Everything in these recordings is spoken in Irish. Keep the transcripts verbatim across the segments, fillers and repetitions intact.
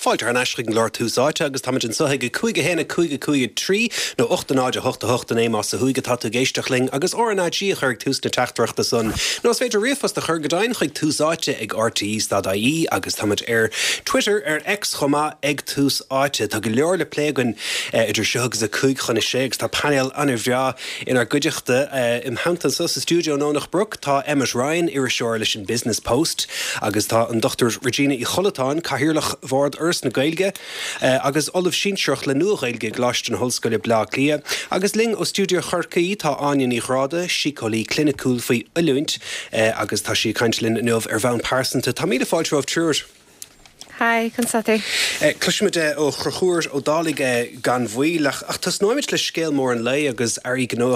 Fáilte thar n-ais chuig an gclár Tús Áite agus táimid anseo ag a cúig a haon a cúig a cúig a trí nó ocht a náid a hocht a hocht a naoi más ó thuaidh atá tú ag éisteacht linn agus R N A G a chur ag tús na teachtaireachta san. Nó is féidir ríomhphost a chur go deimhin chuig Tús Áite ag R T E dot I E agus táimid ar Twitter, ar X chomh maith, ag Tús Áite. Tá go leor le plé againn idir seo agus a cúig chun a sé agus tá painéal an-bhreá inár gcuideachta. Im theannta anseo sa stiúideo i nDomhnach Broc tá Emmet Ryan, iriseoir leis an Business Post, agus tá an Dochtúir Regina Uí Chollatáin, cathaoirleach Bhord Fhoras na Gaeilge agus Ollamh Sinsearach le Nua-Ghaeilge i gColáiste na hOllscoile Bleá Cliath. Agus linn ó stiúideo Chorcaí tá Áine Ní Ghráda, síceolaí cliniciúil faoi oiliúint, agus tá sí ag caint linn inniu ar bhonn pearsanta. Tá míle fáilte romhaibh triúr. Hi, conas tá tú? Cloisfimid ó Chonchúr Ó Dálaigh gan mhoill, ach ach tosnóimid le scéal mór an lae agus airí gnó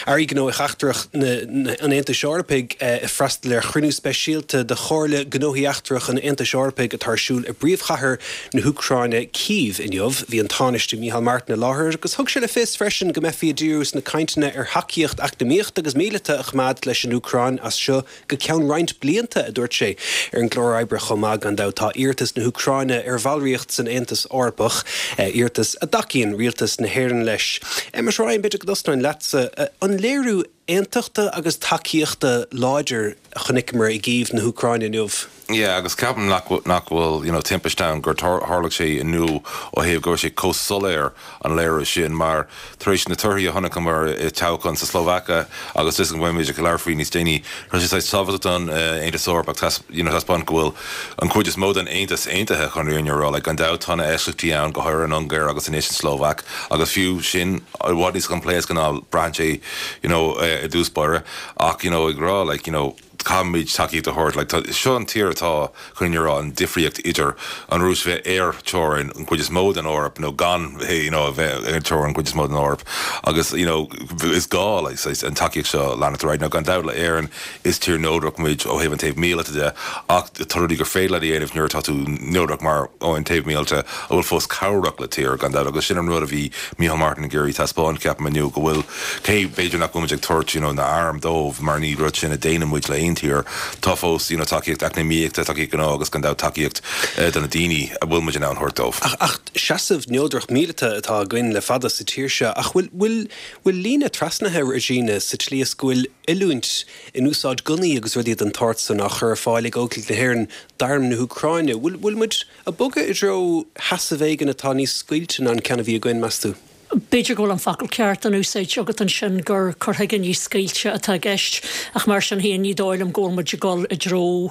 airí gnóthaí eachtracha an Aontais Eorpaigh ag freastal ar chruinniú speisialta de Chomhairle Gnóthaí Eachtracha an Aontais Eorpaigh atá ar siúl i bpríomhchathair na hÚcráine, Cív, inniu. Bhí an Tánaiste Micheál Martin i láthair agus thug sé le fios freisin go mbeifí ag díriú sna cainteanna ar thacaíocht eacnamaíochta agus míleata a choimeád leis an Úcráin as seo go ceann roinnt blianta, a dúirt sé. Ar an gclár oibre chomh maith, gan dabht, tá iarratas na hÚcráine ar bhallraíocht san Aontas Eorpach, iarratas a dtacaíonn rialtas na hÉireann leis. Emmet Ryan, b'fhéidir go dtosnóinn leatsa. An léiriú aontachta agus tacaíochta láidir a chonaiceamar i gCív na hÚcráine inniu? Yeah, agus ceapaim nach nach bhfuil you know, timpiste ann gur tharla sé inniu ó thaobh go raibh sé chomh soiléir, an léiriú sin, mar tar éis na torthaí a chonaiceamar i toghchán sa Slóvaic agus is an bhfuimid ag labhairt faoi níos déanaí, tá sé tábhachtach don Aontas Eorpach you know, taispeáint go bhfuil an chuid is mó den Aontas aontaithe chun rian rá le gan dabht tá na heisceachtaí ann, go háirithe an Ungáir agus anois an Slóvaic, agus fiú sin i bhfad níos coimpléasca ná braitheann sé you know, i dtús báire, ach you know, ag rá like, you know, caithfimid tacaíocht a thabhairt, like, seo an tír atá chun rá an difríocht idir an Rúis bheith ar teorainn an chuid is mó den Eoraip nó gan you know, bheith ar teorainn an chuid is mó den Eoraip agus you know, is gá, like, an tacaíocht seo leanacht right now. Gan dabht le Éirinn, is tír neodrach muid ó thaobh an taobh míleata de, ach tá rudaí gur féidir le dhéanamh nuair atá tú neodrach mar ó an taobh míleata a bhfuil fós cabhrach le tír, gan dabht, agus sin an rud a bhí Micheál Martin ag iarraidh taispeáint, ceapaim, inniu, go bhfuil cé b'fhéidir nach bhfuil ag tabhairt you know, na hairm dóibh, mar ní rud sin a dhéanann muid le aon tír, tá fós you know, tacaíocht eacnamaíochta, tacaíocht gnó agus gan dabht tacaíocht uh, do na daoine a bhfuil muid in ann thabhairt dóibh. Ach, ach seasamh neodrach míleata atá againn le fada sa tír seo, ach bhfuil bhfuil bhfuil líne trasnaithe, Regina, sa tslí is go bhfuil oiliúint in úsáid gunnaí agus rudaí den tsórt san á chur ar fáil ag Óglaigh na hÉireann d'arm na hÚcráine? Bhfuil bhfuil muid ag bogadh i dtreo seasamh éigin atá níos scaoilte ná an ceann a bhí againn, meas tú? B'fhéidir go bhfuil an focal ceart in úsáid agat ansin, gur cur chuige níos scaoilte atá i gceist, ach mar sin féin ní dóigh liom go bhfuil muid ag dul i dtreo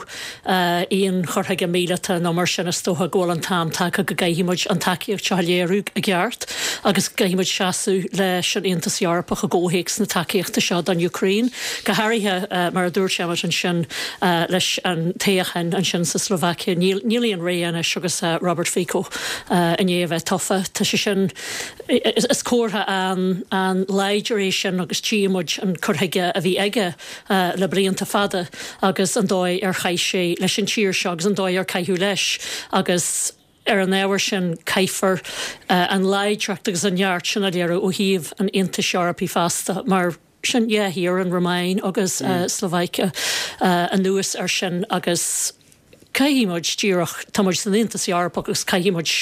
aon chur chuige míleata nó mar sin. Is dócha go bhfuil an t-am tagtha go gcaithfidh muid an tacaíocht seo a léiriú i gceart agus caithfidh muid seasamh leis an Aontas Eorpach i gcomhthéacs na tacaíochta seo don Úcráin, go háirithe mar a dúirt Emmet ansin leis an toghchán ansin sa Slovakia. Níl níl aon ré anois agus Robert Fico i ndiaidh a bheith tofa. Tá sé sin, is comhartha an an láidir é sin, agus tchí muid an cur chuige a bhí aige le blianta fada agus an dóigh ar chaith sé leis an tír seo agus an dóigh ar caitheadh leis, agus ar an ábhar sin caithfear an láidreacht agus an neart sin a léiriú ó thaobh an Aontais Eorpaigh fosta, mar sin dhá thír, an Rómáin agus Slovakia, anuas ar sin, agus caithfidh muid díreach, tá muid san Aontas Eorpach agus caithfidh muid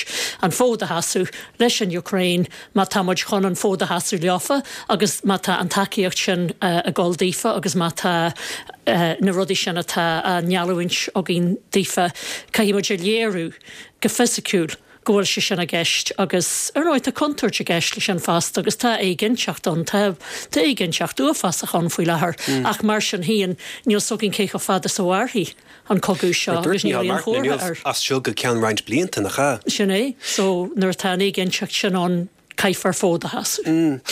an fód a sheasamh leis an Úcráin má tá muid chun an fód a sheasamh leofa agus má tá an tacaíocht sin ag dul daofa agus má tá na rudaí sin atá á ngeallúint againn daofa, caithfidh muid a léiriú go fisiciúil go bhfuil sé sin i gceist. Agus ar ndóigh tá contúirt i gceist leis sin fosta agus tá éiginnteacht ann, tá tá éiginnteacht uafásach ann faoi láthair, ach mar sin féin níl a fhios againn cé chomh fada is a mhairfidh an cogadh seo agus níl aon chomhartha air. As seo go ceann roinnt blianta, nach ea? Sin é, so nuair atá an éiginnteacht sin ann, caithfear fód a sheasamh.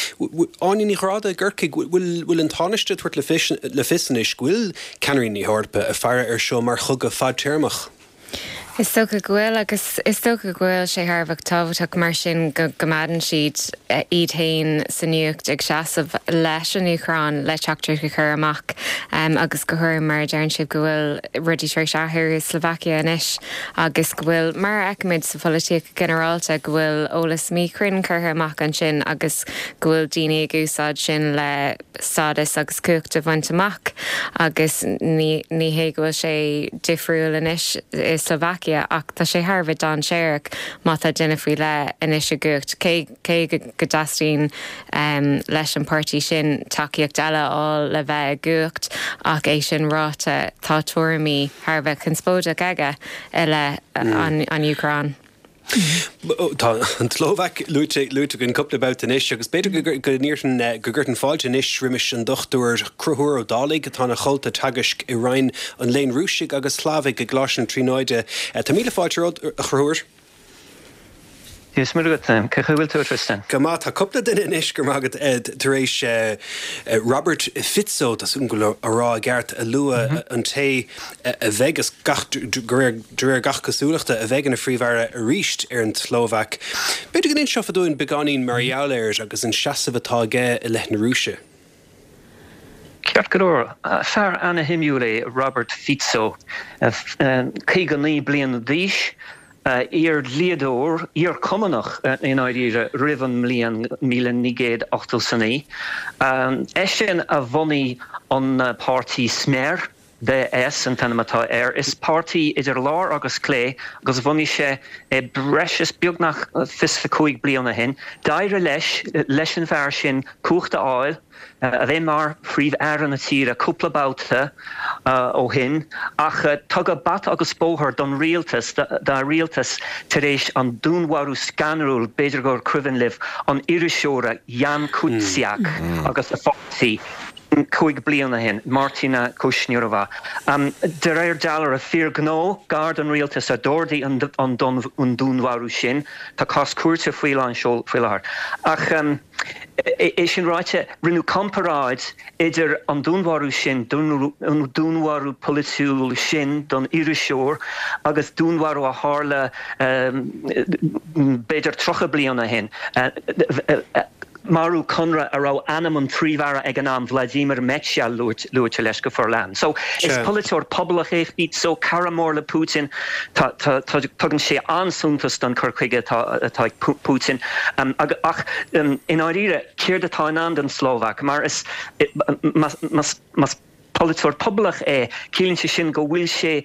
Áine Ní Ghráda i gCorcaigh, bhfuil bhfuil an Tánaiste ag tabhairt le fios le fios anois go bhfuil ceannairí na hEorpa ag faire ar seo mar chogadh fadtéarmach? Is dócha go bhfuil, agus is dócha go bhfuil sé thar a bheith tábhachtach mar sin go gcoimeádann siad iad féin sa nuacht ag seasamh leis an Úcráin le teachtaireacht a chur amach um, agus go háirithe mar a deireann sibh go bhfuil rudaí tar éis athrú i Slovakia anois agus go bhfuil, mar a fheicimid sa pholaitíocht ginearálta, go bhfuil eolas míchruinn curtha amach ansin agus go bhfuil daoine ag úsáid sin le stádas agus cumhacht a bhaint amach, agus ní ní hé go bhfuil sé difriúil anois i Slovakia. tSlóvaicia ach tá sé thar a bheith dainséarach má tá duine faoi leith anois i gcumhacht cé cé go dteastaíonn um, leis an páirtí sin tacaíocht eile a fháil le bheith i gcumhacht ach é sin ráite tá tuairimí thar a bheith conspóideach aige i leith an, an Úcráin. Tá an tSlóvaic luaite luaite againn cúpla babhta anois agus b'fhéidir go n-iarrfainn go gcuirfinn fáilte anois roimis an Dochtúir Conchúr Ó Dálaigh atá ina chomhalta teagaisc i Roinn an Léinn Rúisigh agus Shlavaigh i gColáiste na Tríonóide. Tá míle fáilte romhat a Chonchúir. Is maith agat cén chaoi a bhfuil tú Tristan. Go maith tá cúpla duine anois go raibh maith agat tar éis Robert Fico tá súil go á rá i gceart a lua an té a bheidh is gach de réir gach cosúlachta a bheidh ina phríomh-aire arís ar an tSlóvaic. B'fhéidir go n-inseofá dúinn beagáinín mar gheall air agus an seasamh atá aige i leith na Rúise. Ceart go leor fear an-shuimiúil é Robert Fico caoga naoi bliana d'aois, iar-dhlíodóir, iar-Chumannach i ndáiríre roimh an mbliain míle naoi gcéad ochtó is a naoi. Eisean a bhunaigh an páirtí Smer, DS an t-ainm atá air. Is páirtí idir lár agus clé agus bhunaigh sé é breis is beagnach fiche cúig bliana ó shin. D'éirigh leis leis an bhfear sin cumhacht a fháil. a bheith mar Phríomh-Aire na tíre cúpla babhta ó shin, ach tugadh bata agus bóthar don rialtas, dá rialtas tar éis an dúnmharú scanrúil, b'fhéidir gur cuimhin libh, an iriseora Jan Kuciak agus a pháirtí cúig bliana ó shin, Martina Kušnírová. De réir dealraimh, fear gnó gar don rialtas a d'ordaigh an dúnmharú sin. Tá cás cúirte faoi lán seoil faoi láthair. Ach é sin ráite, rinneadh comparáid idir an dúnmharú sin, an dúnmharú polaitiúil sin don iriseoir agus dúnmharú a tharla b'fhéidir tríocha bliain ó shin. Marú conradh a raibh ainm an Phríomh-Aire ag an am, Vladimir Mečiar, luaite leis go forleathan. So, is polaiteoir pobalach é Fico, cara mór le Putin. Tugann sé an-suntas don chur chuige atá ag Putin. Ach i ndáiríre, céard atá i ndán don tSlóvaic? Mar is más polaiteoir pobalach é, ciallaíonn sé sin go bhfuil sé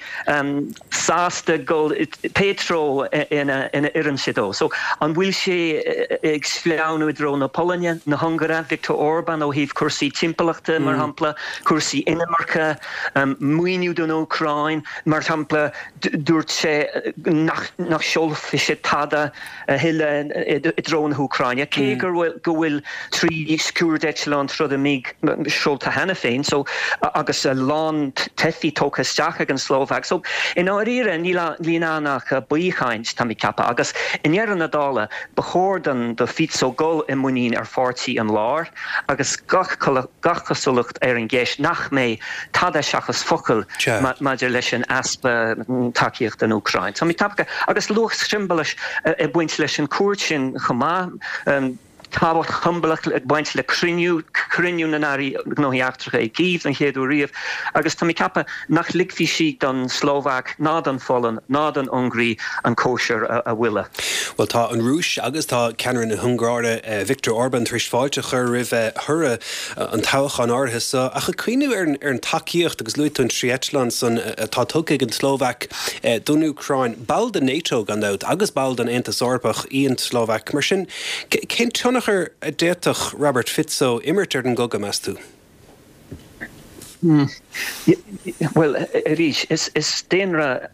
sásta dul pé treo ina oireann sé dó. So, an bhfuil sé ag sleamhnú i dtreo na Polainne, na hUngáire, Viktor Orbán ó thaobh cúrsaí timpeallachta, mar shampla, cúrsaí inimirce, maoiniú don Úcráin, mar shampla, dúirt sé nach nach seolfaidh sé tada a thuilleadh i dtreo na hÚcráine, cé go bhfuil trí scuaideitleán troda MiG seolta cheana féin, so agus a lán teifigh tógtha isteach ag an tSlóvaic. So, i ndáiríre, níl ann ach baothchaint, tá mé ag ceapadh, agus i ndeireadh na dála, ba chóir don do Fico dul i muinín ar pháirtí an láir agus gach gach cosúlacht ar an gceist nach mbeidh tada seachas focail maidir leis an easpa tacaíocht don Úcráin. Tá mé ag ceapadh, agus luach siombalach ag baint leis an cuairt sin chomh maith. Tábhacht shiombalach ag baint le cruinniú, cruinniú na nAirí Gnóthaí Eachtracha i gCív den chéad uair riamh, agus tá mé ag ceapadh nach ligfidh sí don tSlóvaic ná don Pholainn ná don Ungáir an cóisir a mhoilleadh. Bhuel, tá an Rúis agus tá ceannaire na hUngáire, Viktor Orbán, tar éis fáilte a chur roimh thoradh an toghcháin áirithe seo. Ach ag cuimhneamh ar an tacaíocht, agus luaigh tú an trí eitleán san atá tugtha ag an tSlóvaic don Úcráin, ball de NATO gan dabht agus ball den Aontas Eorpach í an tSlóvaic, mar sin cén tionchar a d'fhéadfadh Robert Fico imirt ar an gcogadh, meas tú? Bhuel, arís, is daonra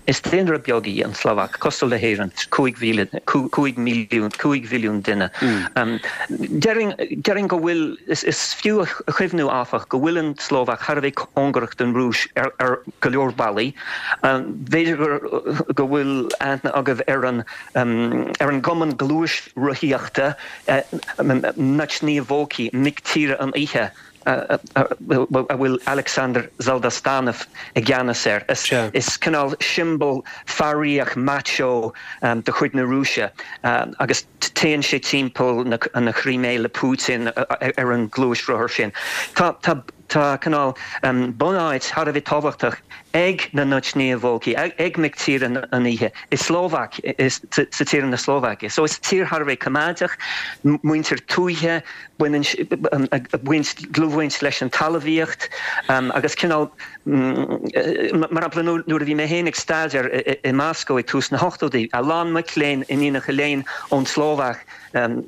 is daonra beag í an tSlóvaic, cosúil le hÉirinn, cúig mhíle, cúig milliún, cúig mhilliún duine. Déarfainn, déarfainn go bhfuil, is fiú a chuimhniú, áfach, go bhfuil an tSlóvaic thar a bheith cóngarach don Rúis ar ar go leor bealaí. B'fhéidir gur go bhfuil aithne agaibh ar an ar an gcumann gluaisrothaíochta Nochniye Volki, Mic Tíre an Oíche, a bhfuil Alexander Zaldastanov i gceannas air. Is cineál siombail fearaíoch macho de chuid na Rúise agus téann sé timpeall na Crimea le Putin ar an gluaisrothar sin. Tá tá cineál bunáit thar a bheith tábhachtach ag na Nočné Vlky, ag mic tíre an oíche, i Slóvaic, sa tír na Slóvaice. So is tír thar a bheith coimeádach, muintir tuaithe, baineann baint dlúthbhaint leis an talmhaíocht agus cineál mar shampla nuair a bhí mé féin ag staidéar i Moscow ag tús na hochtóidí, a lán mic léinn, iníonacha léinn ón tSlóvaic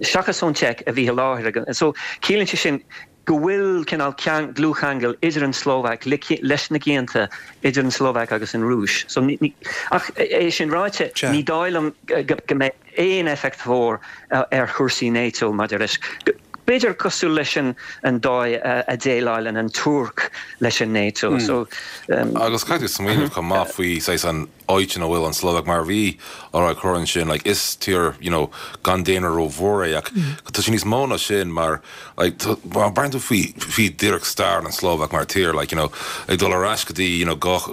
seachas ón tSeic a bhí i láthair. So ciallaíonn sé sin go bhfuil cineál dlúthcheangal idir an tSlóvaic leis na cianta idir an tSlóvaic agus an Rúis. So ní, ach é sin ráite, ní dóigh liom go mbeidh aon éifeacht mhór ar chúrsaí NATO maidir leis. B'fhéidir cosúil leis an an dóigh a déileálann an Tuirc leis an NATO. So, um, agus caithfidh smaoineamh chomh maith faoi saghas an áit ina bhfuil an Slóvaic mar bhí á rá cur ansin like is tír you know gan daonra rómhór é ach tá sé níos mó ná sin mar like má breathnaíonn tú faoi faoi díreach stair an Slóvaic mar tír like you know ag dul ar ais go dtí you know dhá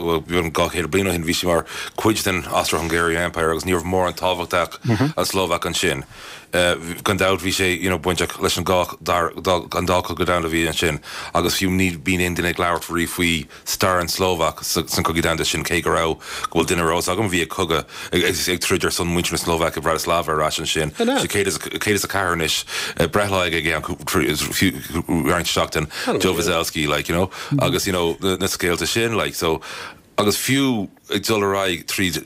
dhá chéad bliain ó shin bhí sí mar cuid den Austro-Hungarian Empire agus ní raibh mórán tábhacht ag an Slóvaic ansin. Uh, gan dabht bhí sé you know bainteach leis an gá an dá cogadh domhanda a bhí ansin agus fiú ní bíonn aon duine ag labhairt riamh faoi stair an Slóvaic san cogadh domhanda sin cé go raibh go bhfuil duine rós agam bhí ag cogadh ag troid ar son muintir na Slóvaice i Bratislava ar ais ansin sé céad is a ceathair anois breithlá ag an roinnt seachtain Joe Veselsky like you know agus you know na scéalta sin like so agus fiú ag dul ar aghaidh tríd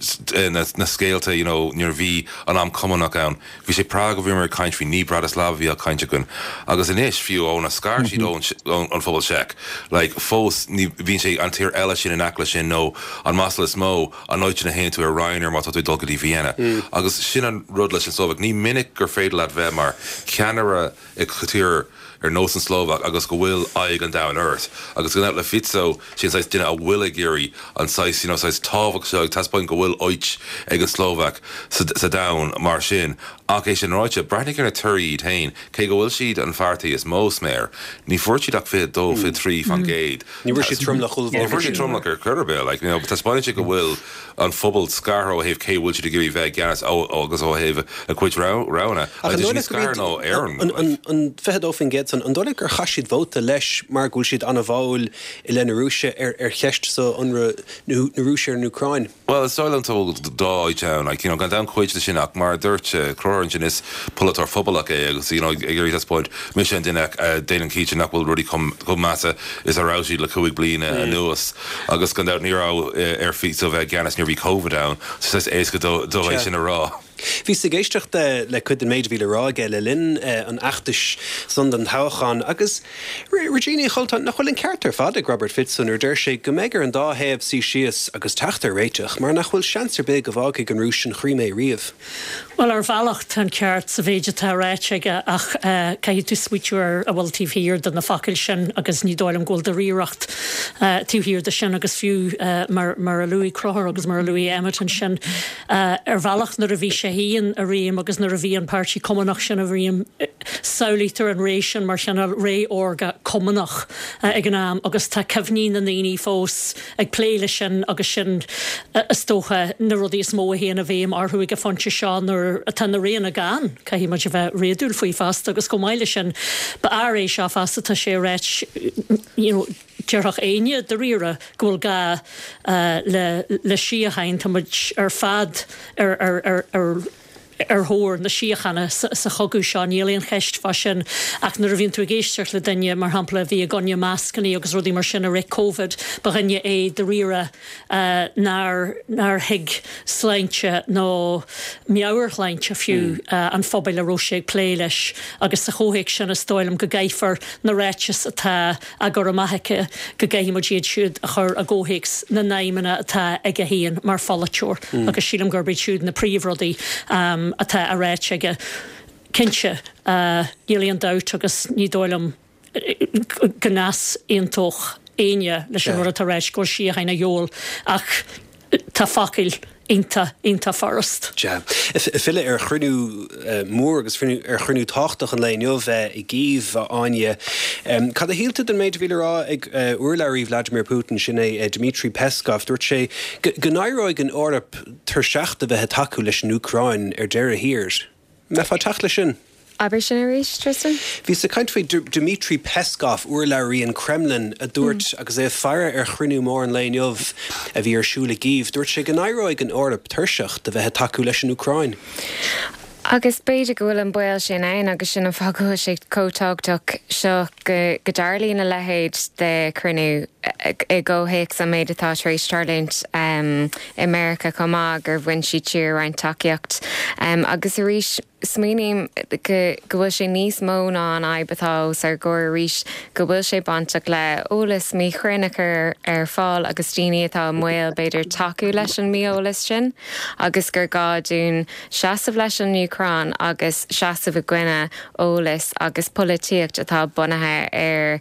na, na scéalta you know, nuair bhí an am cumannach ann bhí sé Prague a bhí mar caint faoi ní Bratislava bhí á caint againn agus anois fiú óna scar siad ón an phobal Seic like fós ní bhíonn sé an tír eile sin in aice sin nó an masla is mó an áit ina théann tú ar Ryanair má tá tú dul go dtí Vienna agus sin an rud leis an Slóvaic ní minic gur féidir leat bheith mar ceannaire i tír ar nós an Slóvaic agus go bhfuil aghaidh an domhain ort agus go le Fico sin saghas duine a bhfuil ag iarraidh an saghas you know, saghas tábhacht seo ag taispeáint go bhfuil áit ag an Slóvaic sa, sa domhan mar sin ach é sin ráite breathnaigh ar na torthaí iad féin cé go bhfuil siad an pháirtí is mó sméar ní fuair siad ach fiche dó fiche trí faoin gcéad Ní bhfuair siad tromlach Ní fuair siad tromlach ar chor ar bith like you know, taispeánann sé go bhfuil an phobal scartha ó thaobh cé bhfuil siad ag iarraidh bheith i gceannas agus ó thaobh a cuid roghanna scar nó Éireann An fiche dó faoin gcéad san an dóigh gur chaith siad vóta leis mar go bhfuil siad an-bháúil i leith na Rúise ar ar cheist so ionradh na Rúise ar an Úcráin. Well is dóigh liom dá áit ann like you know gan dabht cuid de sin ach mar dúirt Conchúr sin is polaiteoir pobalach é agus you know ag iarraidh taispeáint mise an duine déanann cinnte nach bhfuil rudaí chomh measa is a raibh siad le cúig bliana anuas agus gan dabht ní raibh ar Fico bheith i gceannas nuair bhí COVID ann so is éasca dó é sin a rá. Bhíos ag éisteacht le cuid den méid a bhí le rá aige le linn an fheachtais san don toghchán agus Regina Uí Choltáin nach bhfuil an ceart ar fad ag Robert Fico nuair deir sé go mbeidh ar an dá thaobh suí síos agus teacht ar réiteach mar nach bhfuil seans ar bith go bhfágfaidh an Rúis an Chrimé riamh. Well ar bhealach tá an ceart sa mhéid atá ráite aige ach caithfidh tú smaoitiú ar a bhfuil taobh thiar de na focail sin agus ní dóigh liom go bhfuil dáiríreacht taobh thiar de sin agus fiú mar mar a luaigh Conchúr agus mar a luaigh Emmet ansin ar bhealach nuair a bhí sé féin i réim agus nuair a bhí an páirtí cumannach sin i réim samhlaítear an ré sin mar chineál ré órga cumannach ag an am agus tá cuimhní na ndaoine fós ag plé leis sin agus sin is dócha na rudaí is mó a théann i bhfeidhm orthu ag an phointe seo nuair atá na roghanna gann caithfidh muid a bheith réadúil faoi fosta agus chomh maith leis sin ba fhear é seo fosta tá sé ráite you know déarfadh éinne dáiríre go bhfuil gá le le síocháin tá muid ar fad ar ar ar ar ar thóir na síochána sa chogadh seo níl aon cheist fá sin ach nuair a bhíonn tú ag éisteacht le duine mar shampla a bhí i gcoinne mascanna agus rudaí mar sin i rith Covid ba dhuine é dáiríre nár nár thuig sláinte nó meabhairshláinte fiú an phobail a raibh sé ag plé leis agus sa chomhthéacs sin is dóigh liom go gcaithfear na ráitis atá á gcur amach aici go gcaithfidh muid iad siúd a chur i gcomhthéacs na n-aidhmeanna atá aige féin mar pholaiteoir agus sílim gurb iad siúd na príomhrudaí um, atá á ráite aige. Cinnte níl aon dabht agus ní dóigh liom go n-easaontódh éinne leis an rud atá ráite go bhfuil síocháin a dhíobháil ach tá focail iontach iontach furast. Ja. Filleadh ar chruinniú mór agus ar chruinniú tábhachtach an lae inniu i gCív Áine. Cad a shíl tú den méid a bhí le rá ag urlabhraí Vladimir Putin sin é Dmitry Peskov, dúirt sé go n-éireoidh an Eoraip tuirseach de bheith ag tacú leis an Úcráin ar deireadh thiar. Mbeifeá ag teacht leis sin? Abair sin arís, Tristan? Bhíos ag caint faoi Dmitry Peskov, urlabhraí an Kremlin, a dúirt, agus é ag faire ar chruinniú mór an lae inniu a bhí ar siúl i gCív, dúirt sé go n-éireoidh an Eoraip tuirseach de bheith ag tacú leis an Úcráin. Agus b'fhéidir go bhfuil an baol sin ann agus sin an fáth go bhfuil sé chomh tábhachtach seo go go dtarlaíonn a leithéid de chruinniú i gcomhthéacs an méid atá tar éis tarlúint i Meiriceá chomh maith gur bhain siad siar roinnt tacaíocht. Agus arís smaoiním go go bhfuil sé níos mó ná an fhadhb atá os ár gcomhair arís go bhfuil sé bainteach le eolas míchruinn a chur ar fáil agus daoine atá i mbaol b'fhéidir tacú leis an mí-eolas sin agus gur gá dúinn seasamh leis an Úcráin agus seasamh i gcoinne eolas agus polaitíocht atá bunaithe ar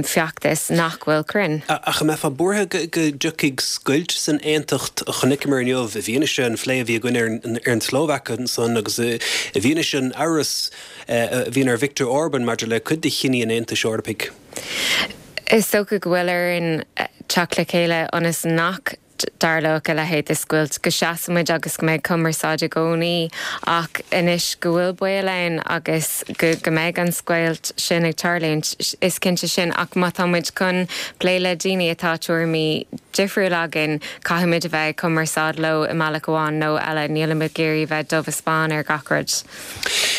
feachtas nach bhfuil cruinn. Ach an mbeifeá buartha go dtiocfaidh scoilt san aontacht a chonaiceamar inniu i bhfianaise an phlé a bhí againn ar an tSlóvaic ansan agus i bhfianaise an amhras a bhíonn ar Viktor Orban maidir le cuid de chinní an Aontais Eorpaigh? Is dócha go bhfuil orainn teacht le chéile ionas nach dtarlódh a leithéid de scoilt, go seasfaimid agus go mbeidh cumarsáid i gcónaí ach anois go bhfuil baol ann agus go go mbeidh an scoilt sin ag tarlúint, is cinnte sin ach má tá muid chun plé le daoine atá tuairimí difriúla againn, caithfimid a bheith ag cumarsáid leo i mbealach amháin nó eile, nílimid ag iarraidh bheith dubh is bán ar gach rud.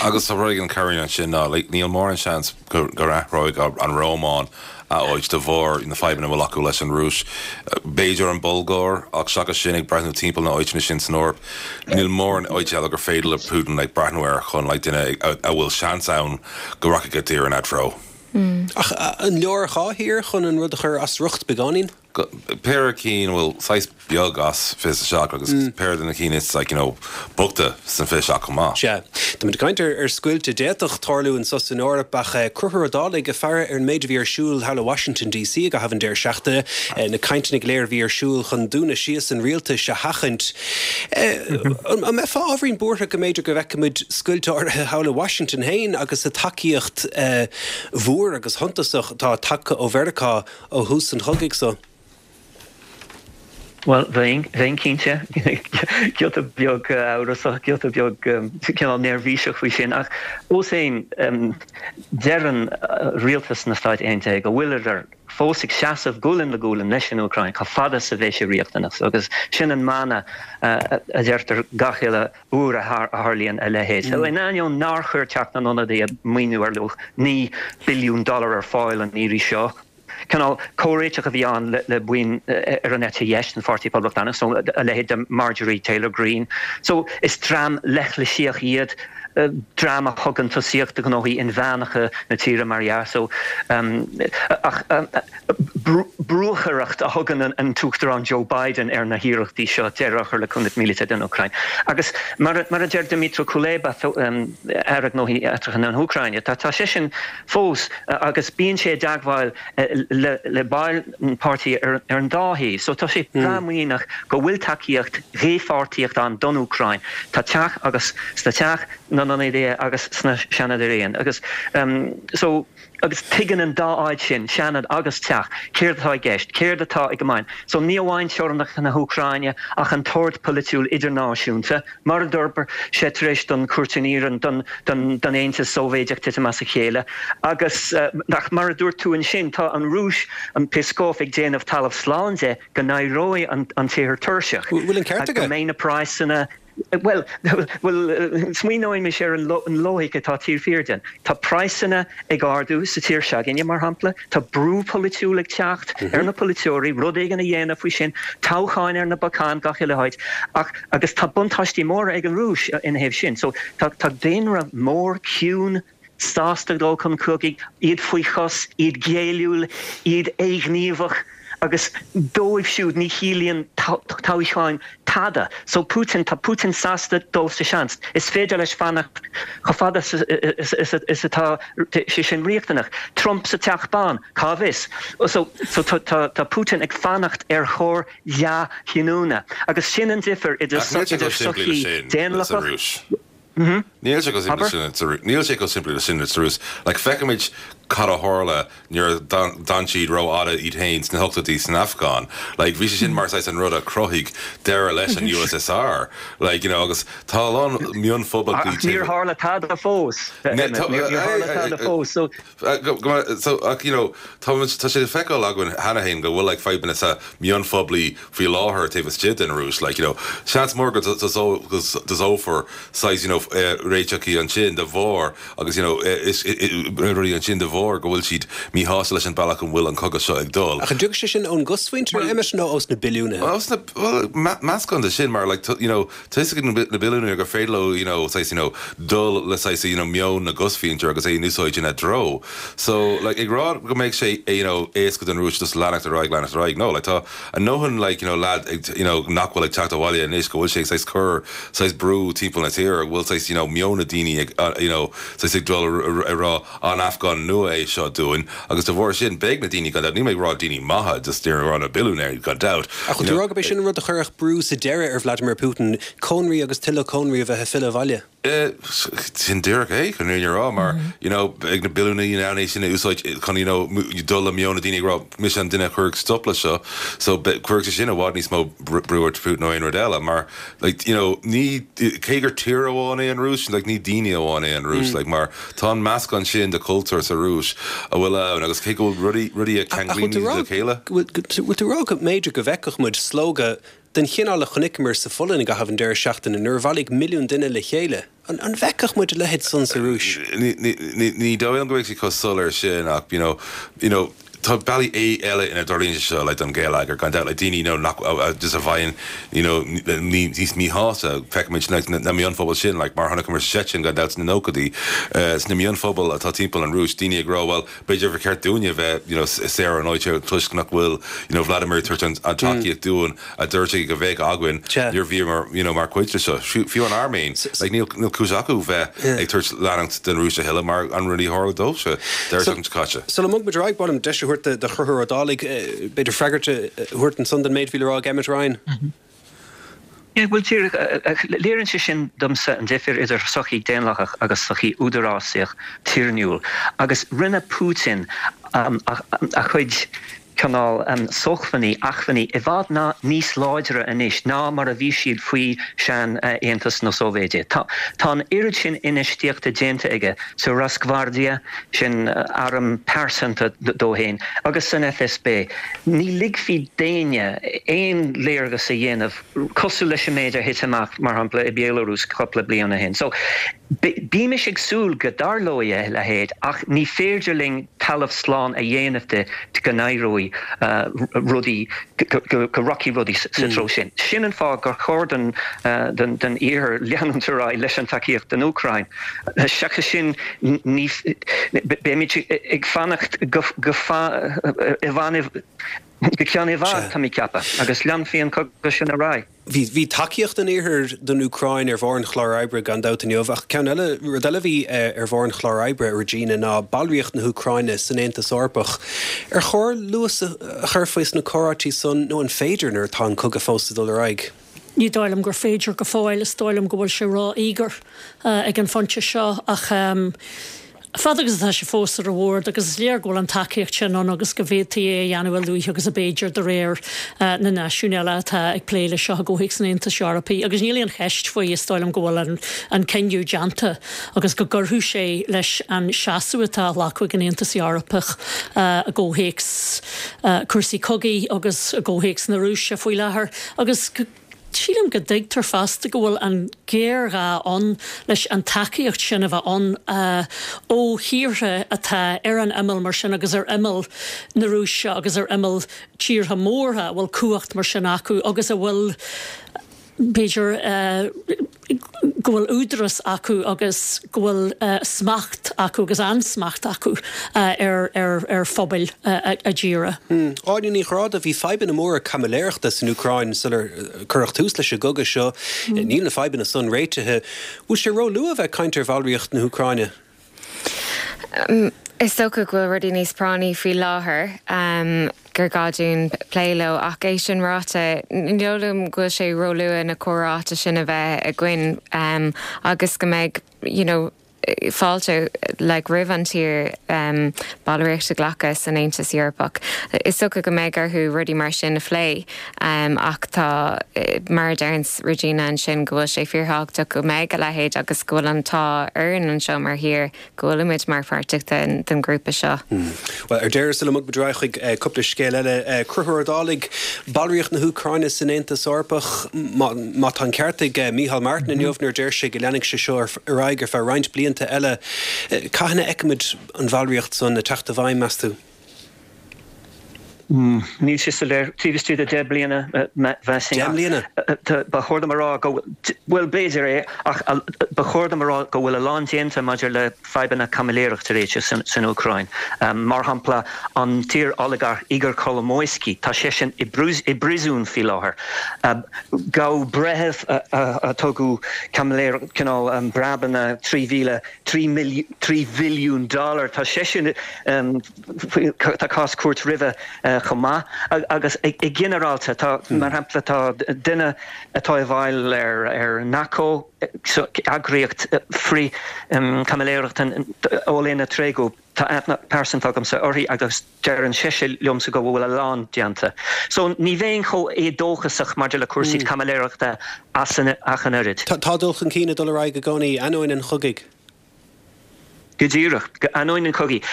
Agus tá rud éigin Karine ansin ná níl mórán seans go athróidh an Rómáin a áit de bharr na fadhbanna a bhfuil acu leis an Rúis. B'fhéidir an Bhulgáir, ach seachas sin, ag breathnú timpeall na áiteanna sin san Eoraip, níl mórán áit eile gur féidir le Putin like breathnú air chun like duine a bhfuil seans ann go rachaidh a dtír ina treo. Ach an leor dhá thír chun an rud a chur as riocht beagáinín? Péire cinn a bhfuil saghas beag as fiche is a seacht agus péire de na cinn is like, you know, boichte san fiche seacht chomh maith. Sea. Táimid ag caint ar ar scoilt a d'fhéadfadh tarlú anso san Eoraip ach Conchúr Ó Dálaigh ag faire ar an méid a bhí ar siúl thall i Washington DC i gcaitheamh an deireadh seachtaine, na cainteanna go léir a bhí ar siúl chun dúnadh síos an rialtais a sheachaint. An mbeifeá ábhairín buartha go mb'fhéidir go bhfeicfimid scoilt áirithe thall i Washington féin agus an tacaíocht mhór agus shuntasach atá tagtha ó Mheiriceá ó thús an chogaidh so? Bhuel, bheinn, bheinn cinnte, giota beag amhrasach, giota beag cineál neirbhíseach faoi sin, ach fós féin, deireann rialtas na Stáit Aontaithe go bhfuileadar fós ag seasamh gualainn le gualainn leis an Úcráin chomh fada is a bheidh sé riachtanach. Agus sin an mana a deirtear gach uile uair a tharlaíonn a leithéid. So, in ainneoin nár chuir Teach na nIonadaithe maoiniú ar luach naoi billiún dollar ar fáil an iarraidh seo, Cineál comhréiteach a bhí ann le buíon ar an eite dheis den Pháirtí Poblachtánach, so a leithéid de Marjorie Taylor Greene. So is dream leithlisíoch iad, dream a thugann tosaíocht do ghnóthaí inmheánacha na tíre mar dhea. So ach brúchaireacht a thugann an tUachtarán Joe Biden ar na hiarrachtaí seo deireadh a chur le cúnamh míleata don Úcráin. Agus mar a deir Dmytro Kuleba, Aire Gnóthaí Eachtracha na hÚcráine, tá seisean fós agus bíonn sé i dteagmháil le baill an pháirtí ar an dá thaobh. So tá sé breá muiníneach go bhfuil tacaíocht dhépháirtíocht ann don Úcráin, sa Teach agus sna Teach na nIonadaithe agus sna Seanad araon. Agus so agus tuigeann an dá áit sin, Seanad agus Teach, céard atá i gceist, céard atá ag gabháil. So ní amháin teorainneacha na hÚcráine ach an t-ord polaitiúil idirnáisiúnta. Mar a d'fhorbair sé tar éis don Chúirtín Iarainn don don Aontas Sóivéideach titim as a chéile. Agus ach mar a dúirt tú ansin, tá an Rúis, an Peskov ag déanamh talamh slán de go n-éireoidh an an tír tuirseach. Bhfuil an ceart aige? Go mbeidh na praghsanna, bhuel, bhuel, smaoineoimis ar an loighic atá taobh thiar de. Tá praghsanna ag ardú sa tír s'againne, mar shampla. Tá brú polaitiúil ag teacht ar na polaiteoirí rud éigin a dhéanamh faoi sin, toghcháin ar na bacáin gach uile háit. Ach, agus tá buntáistí móra ag an Rúis ina thaobh sin. So, tá, tá daonra mór ciúin, sásta dul chun cogaidh, iad faoi chos, iad géilliúil, iad éighníomhach, agus dóibh siúd ní chiallaíonn toghcháin tada. So Putin, tá Putin sásta dul sa seans. Is féidir leis fanacht chomh fada is atá sé sin riachtanach. Trump sa Teach Bán, cá bhfios? So tá Putin ag fanacht ar chor dea-chinniúna. Agus sin an difear idir sochaí daonlathach. Níl sé chomh simplí le sin sa Rúis. Níl sé chomh simplí le sin sa Rúis. Like, feicimid cad a tharla nuair a d'fhan siad rófhada iad féin sna hochtóidí san Afgáin. Like, bhí sé sin mar saghas an rud a chruthaigh deireadh leis an U S S R. Like, you know, agus tá a lán mionphoblachtaí. Ach níor tharla tada fós. Níor tharla tada fós. So so ach, you know, tá tá sé feiceáil againn cheana féin go bhfuil like fadhbanna sa mionphobail faoi láthair taobh istigh den Rúis, like, you know, seans mór go dtosófar saghas you know, réiteachaí ansin de bharr agus you know, rudaí ansin de bharr go bhfuil siad míshásta leis an bealach an bhfuil an cogadh seo ag dul. Ach an dtiocfaidh sé sin ón gcosmhuintir, Emmet, nó ós na billiúnaithe? Well, meascán de sin mar like, you know, tá na billiúnaithe gur féidir leo you know, saghas, you know, dul le saghas, you know, meon na gcosmhuintir agus é in úsáid ina dtreo. So like, ag rá go mbeidh sé you know, éasca don Rúis just leanacht ar aghaidh leanacht ar aghaidh. No, like, tá a ndóthain like, you know, lad you know, nach bhfuil ag teacht abhaile anois go bhfuil sé saghas cur saghas brú timpeall na tíre bhfuil saghas you know, meon na daoine ag uh, you know, saghas ag dul ar rá an Afgán nua é seo dúinn agus de bharr sin beidh na daoine gan ní mé rá daoine maithe just rá na billiúnaeirí gan dabht. Ach tú rá be sin rud a chuirfeadh brú sa deireadh ar Vladimir Putin cónraí agus tuilleadh cónraí a bheith ag filleadh abhaile. Sin díreach é chun rá mar you know, ag na billiúnaí é sin úsáid chun you know, dul le meon na daoine rá mise an duine chuir stop le seo so chuir sin i bhfad níos mó brú ar Putin nó aon rud eile mar like, you know, ní cé gur tír amháin é an Rúis like, ní daoine amháin é an Rúis mm. like, mar tá an meascán sin de chultúr sa Rúis a bhfuil ann agus cé go rudaí rudaí a ceanglaíonn le chéile. Bhfuil tú rá go mb'fhéidir go bhfeicfeadh muid slógadh den chineál a chonaiceamar sa Pholainn i gcaitheamh an deireadh seachtaine nuair a bhailigh milliún duine le chéile. An, an bhfeicfeadh muid a leithéid san sa Rúis? Ní dóigh go bhfuil sé chomh soiléir sin ach you know, you know, tá bealaí é eile ina dtarlaíonn seo le an géileagar gan le daoine you know, nach just a bhíonn you know, níos míshásta feicimid na, na mionphobail sin like, mar chonaiceamar sin gan dabht sna nóchaidí uh, sna mionphobail atá timpeall an Rúis daoine ag rá well b'fhéidir gur cheart dúinne bheith you know, saor an áit toisc nach bhfuil you know, Vladimir ag tabhairt an, an tacaíocht dúinn a dúirt go bheadh againn nuair bhí mar you know, mar chuid seo fiú an Airméin like, níl níl cúis acu bheith ag tabhairt leanacht den Rúis a thuilleadh mar an rudaí a tharla dóibhse deireadh caite. Sula mbogfaidh muid ar aghaidh ba mhaith liom deis a thabhairt do Chonchúr Ó Dálaigh b'fhéidir freagairt a thabhairt ansan don méid a bhí le rá ag Emmet Ryan. Yeah, well léiríonn sé sin domsa an difir idir sochaí daonlathach agus sochaí údarásaíoch tiarnúil. Agus rinne Putin um, a, a chuid cineál um, sócmhainní acmhainní i bhfad ná níos láidre anois ná mar a bhí siad faoi sean uh, Aontas na Sóivéide. Tá Tá an oiread sin infheistíochta déanta aige sa Rosgvardia sin uh, arm pearsanta dó féin agus san F S B. Ní ligfí d'éinne aon léargas a dhéanamh cosúil leis an méid a thit amach mar shampla i Belarus cúpla bliain ó shin. So bímis ag súil go dtarlóidh a leithéid ach ní féidir linn talamh slán a dhéanamh de go n-éireoidh uh, rudaí go rachaidh rudaí sa treo sin. Sin an fáth gur chóir den uh, den den iarthar leanúint ar aghaidh leis an tacaíocht don Úcráin. Seachas sin ní beimid ag fanacht go i go ceann i bhfad tá mé ag ceapadh agus leanfaidh an cogadh sin ar aghaidh. Bhí bhí tacaíocht an iarthair don Úcráin ar bharr an chláir oibre gan dabht inniu ach ceann eile rud eile bhí ar bharr an chláir oibre Regina ná ballraíocht na hÚcráine san Aontas Eorpach. Ar chóir luas a chur faoi sna comhráití san nó an féidir nuair atá an cogadh fós ag dul ar aghaidh? Ní dóigh liom gur féidir go fóill is dóigh liom go bhfuil sé ró-íogair uh, ag an phointe seo ach um, Fad agus atá sé fós ar an mbord agus is léir go bhfuil an tacaíocht sin ann agus go bhféadfaí é a dhéanamh a luaithe agus ab fhéidir de réir uh, na náisiún eile atá ag plé le seo i gcomhthéacs an Aontais Eorpaigh, agus níl aon cheist faoi is dóigh liom go bhfuil an, an cinneadh déanta agus go gcuirfeadh sé leis an seasamh atá glactha ag an Aontas Eorpach uh, i gcomhthéacs uh, cúrsaí cogaidh agus i gcomhthéacs na Rúise faoi láthair agus sílim go dtuigtear fosta go bhfuil an géarghá ann leis an tacaíocht sin a bheith ann uh, ó thíortha atá ar an imeall mar sin agus ar imeall na Rúise agus ar imeall tíortha móra a bhfuil cumhacht mar sin acu agus a bhfuil b'fhéidir uh, go bhfuil údarás acu agus go bhfuil uh, smacht acu agus ansmacht acu uh, ar, ar, ar phobail uh, a dtíre. Hmm. Áine Ní Ghráda bhí fadhbanna móra caimiléireachta san Úcráin sular cuireadh tús leis an gcogadh seo mm. níl na fadhbanna san réitithe, Bhfuil sé róluath bheith ag caint ar bhallraíocht na hÚcráine? Um, Is dócha go bhfuil rudaí níos práinní faoi láthair um, gur gá dúinn plé leo ach é sin ráite ní dóigh go bhfuil sé róluath na comhráite sin a bheith againn um, agus go mbeidh you know, fáilte like, roimh an tír um, ballraíocht a ghlacadh san Aontas Eorpach. Is dócha go mbeidh orthu rudaí mar sin a phlé um, ach tá eh, mar a deir Regina ansin go bhfuil sé fíorthábhachtach go mbeidh a leithéid agus go bhfuil an t-ádh orainn anseo mar thír go bhfuilimid mar pháirteach den, den grúpa seo. Hmm. Well ar deireadh sula mbogfaimid ar aghaidh chuig uh, cúpla scéal eile uh, Conchúr Ó Dálaigh ballraíocht na hÚcráine san Aontas Eorpach má tá an ceart ag uh, Micheál Martin inniu nuair a deir sé go leanfaidh sé seo ar aghaidh ar feadh roinnt blianta eile. Cathain a fheicfimid an bhallraíocht san ag teacht i bhfeidhm meas tú? Mm, níl sé soiléir taobh istigh de deich mbliana bliana Ba chóir dom a rá go bhfuil b'fhéidir é ach ba chóir dom a rá go bhfuil a lán déanta maidir le fadhbanna caimiléireachta réiteach san, san Úcráin. Um, mar shampla an t-iar-oligarch Igor Kolomoisky tá sé sin i bpríosún faoi láthair. Um, Gabhadh breitheamh a tugadh caimiléir cineál um, breabanna trí mhíle trí bhilliún dollar tá sé sin um, tá cás cúirte roimhe uh, chomh maith agus i ginearálta tá mar shampla tá duine atá i bhfeighil ar ar NACO eagraíocht frith um, caimiléireachta Olena Tregub tá aithne pearsanta agamsa uirthi agus deireann sise liomsa go bhfuil a lán déanta. So ní bheinn chomh éadóchasach maidir le cúrsaí mm. caimiléireachta as ach an oiread. Tá dul chun cinn ag dul ar aghaidh i gcónaí ainneoin an chogaidh. Go díreach ainneoin an chogaidh.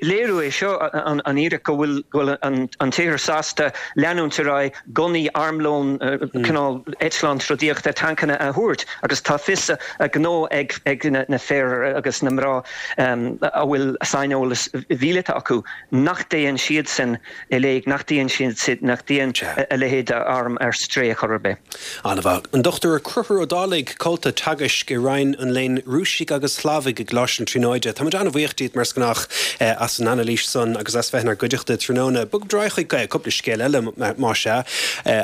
Léiriú é seo an fhíric go bhfuil an tír sásta leanúint ar aghaidh gunnaí armlón cineál eitleán trodaíochta tancanna a thabhairt agus tá fios a ngnó ag ag na fir agus na mná a bhfuil saineolas míleata acu nach dtéann siad sin i léig nach dtéann siad nach dtéann a leithéid arm ar strae chor ar bith. An-mhaith. An Dochtúir Conchúr Ó Dálaigh comhalta teagaisc i Roinn an Léinn Rúisigh agus Shlavaigh i gColáiste na Tríonóide. Tá an-bhuíoch díot mar is gnách as an anailís san agus as bheith inár gcuideachta tráthnóna. Bogfaimid ar aghaidh chuig cúpla scéal eile más ea,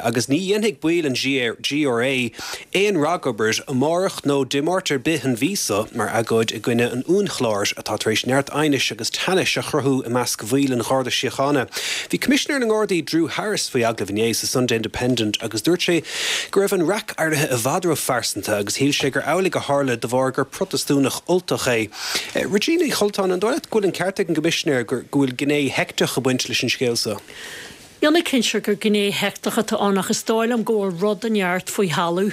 agus ní dhéanfaidh baill an G R A aon ragobair amárach nó Dé Máirt ar bith an mhí seo mar agóid i gcoinne an uainchlár atá tar éis neart aighnis agus teannais a chruthú i measc bhaill an Gharda Síochána. Bhí Coimisinéir na nGardaí Drew Harris faoi agallamh inné sa Sunday Independent agus dúirt sé go raibh an raic éirithe i bhfad róphearsanta agus shíl sé gur amhlaidh a tharla de bharr gur Protastúnach Ultach é. Regina Uí Choltáin an dóigh leat go bhfuil an ceart ag an gcoimisinéir go bhfuil gné heicteach ag baint leis an scéal seo. Níl mé cinnte gur gné heicteach atá ann ach is dóigh liom go bhfuil rud inteacht faoi thalamh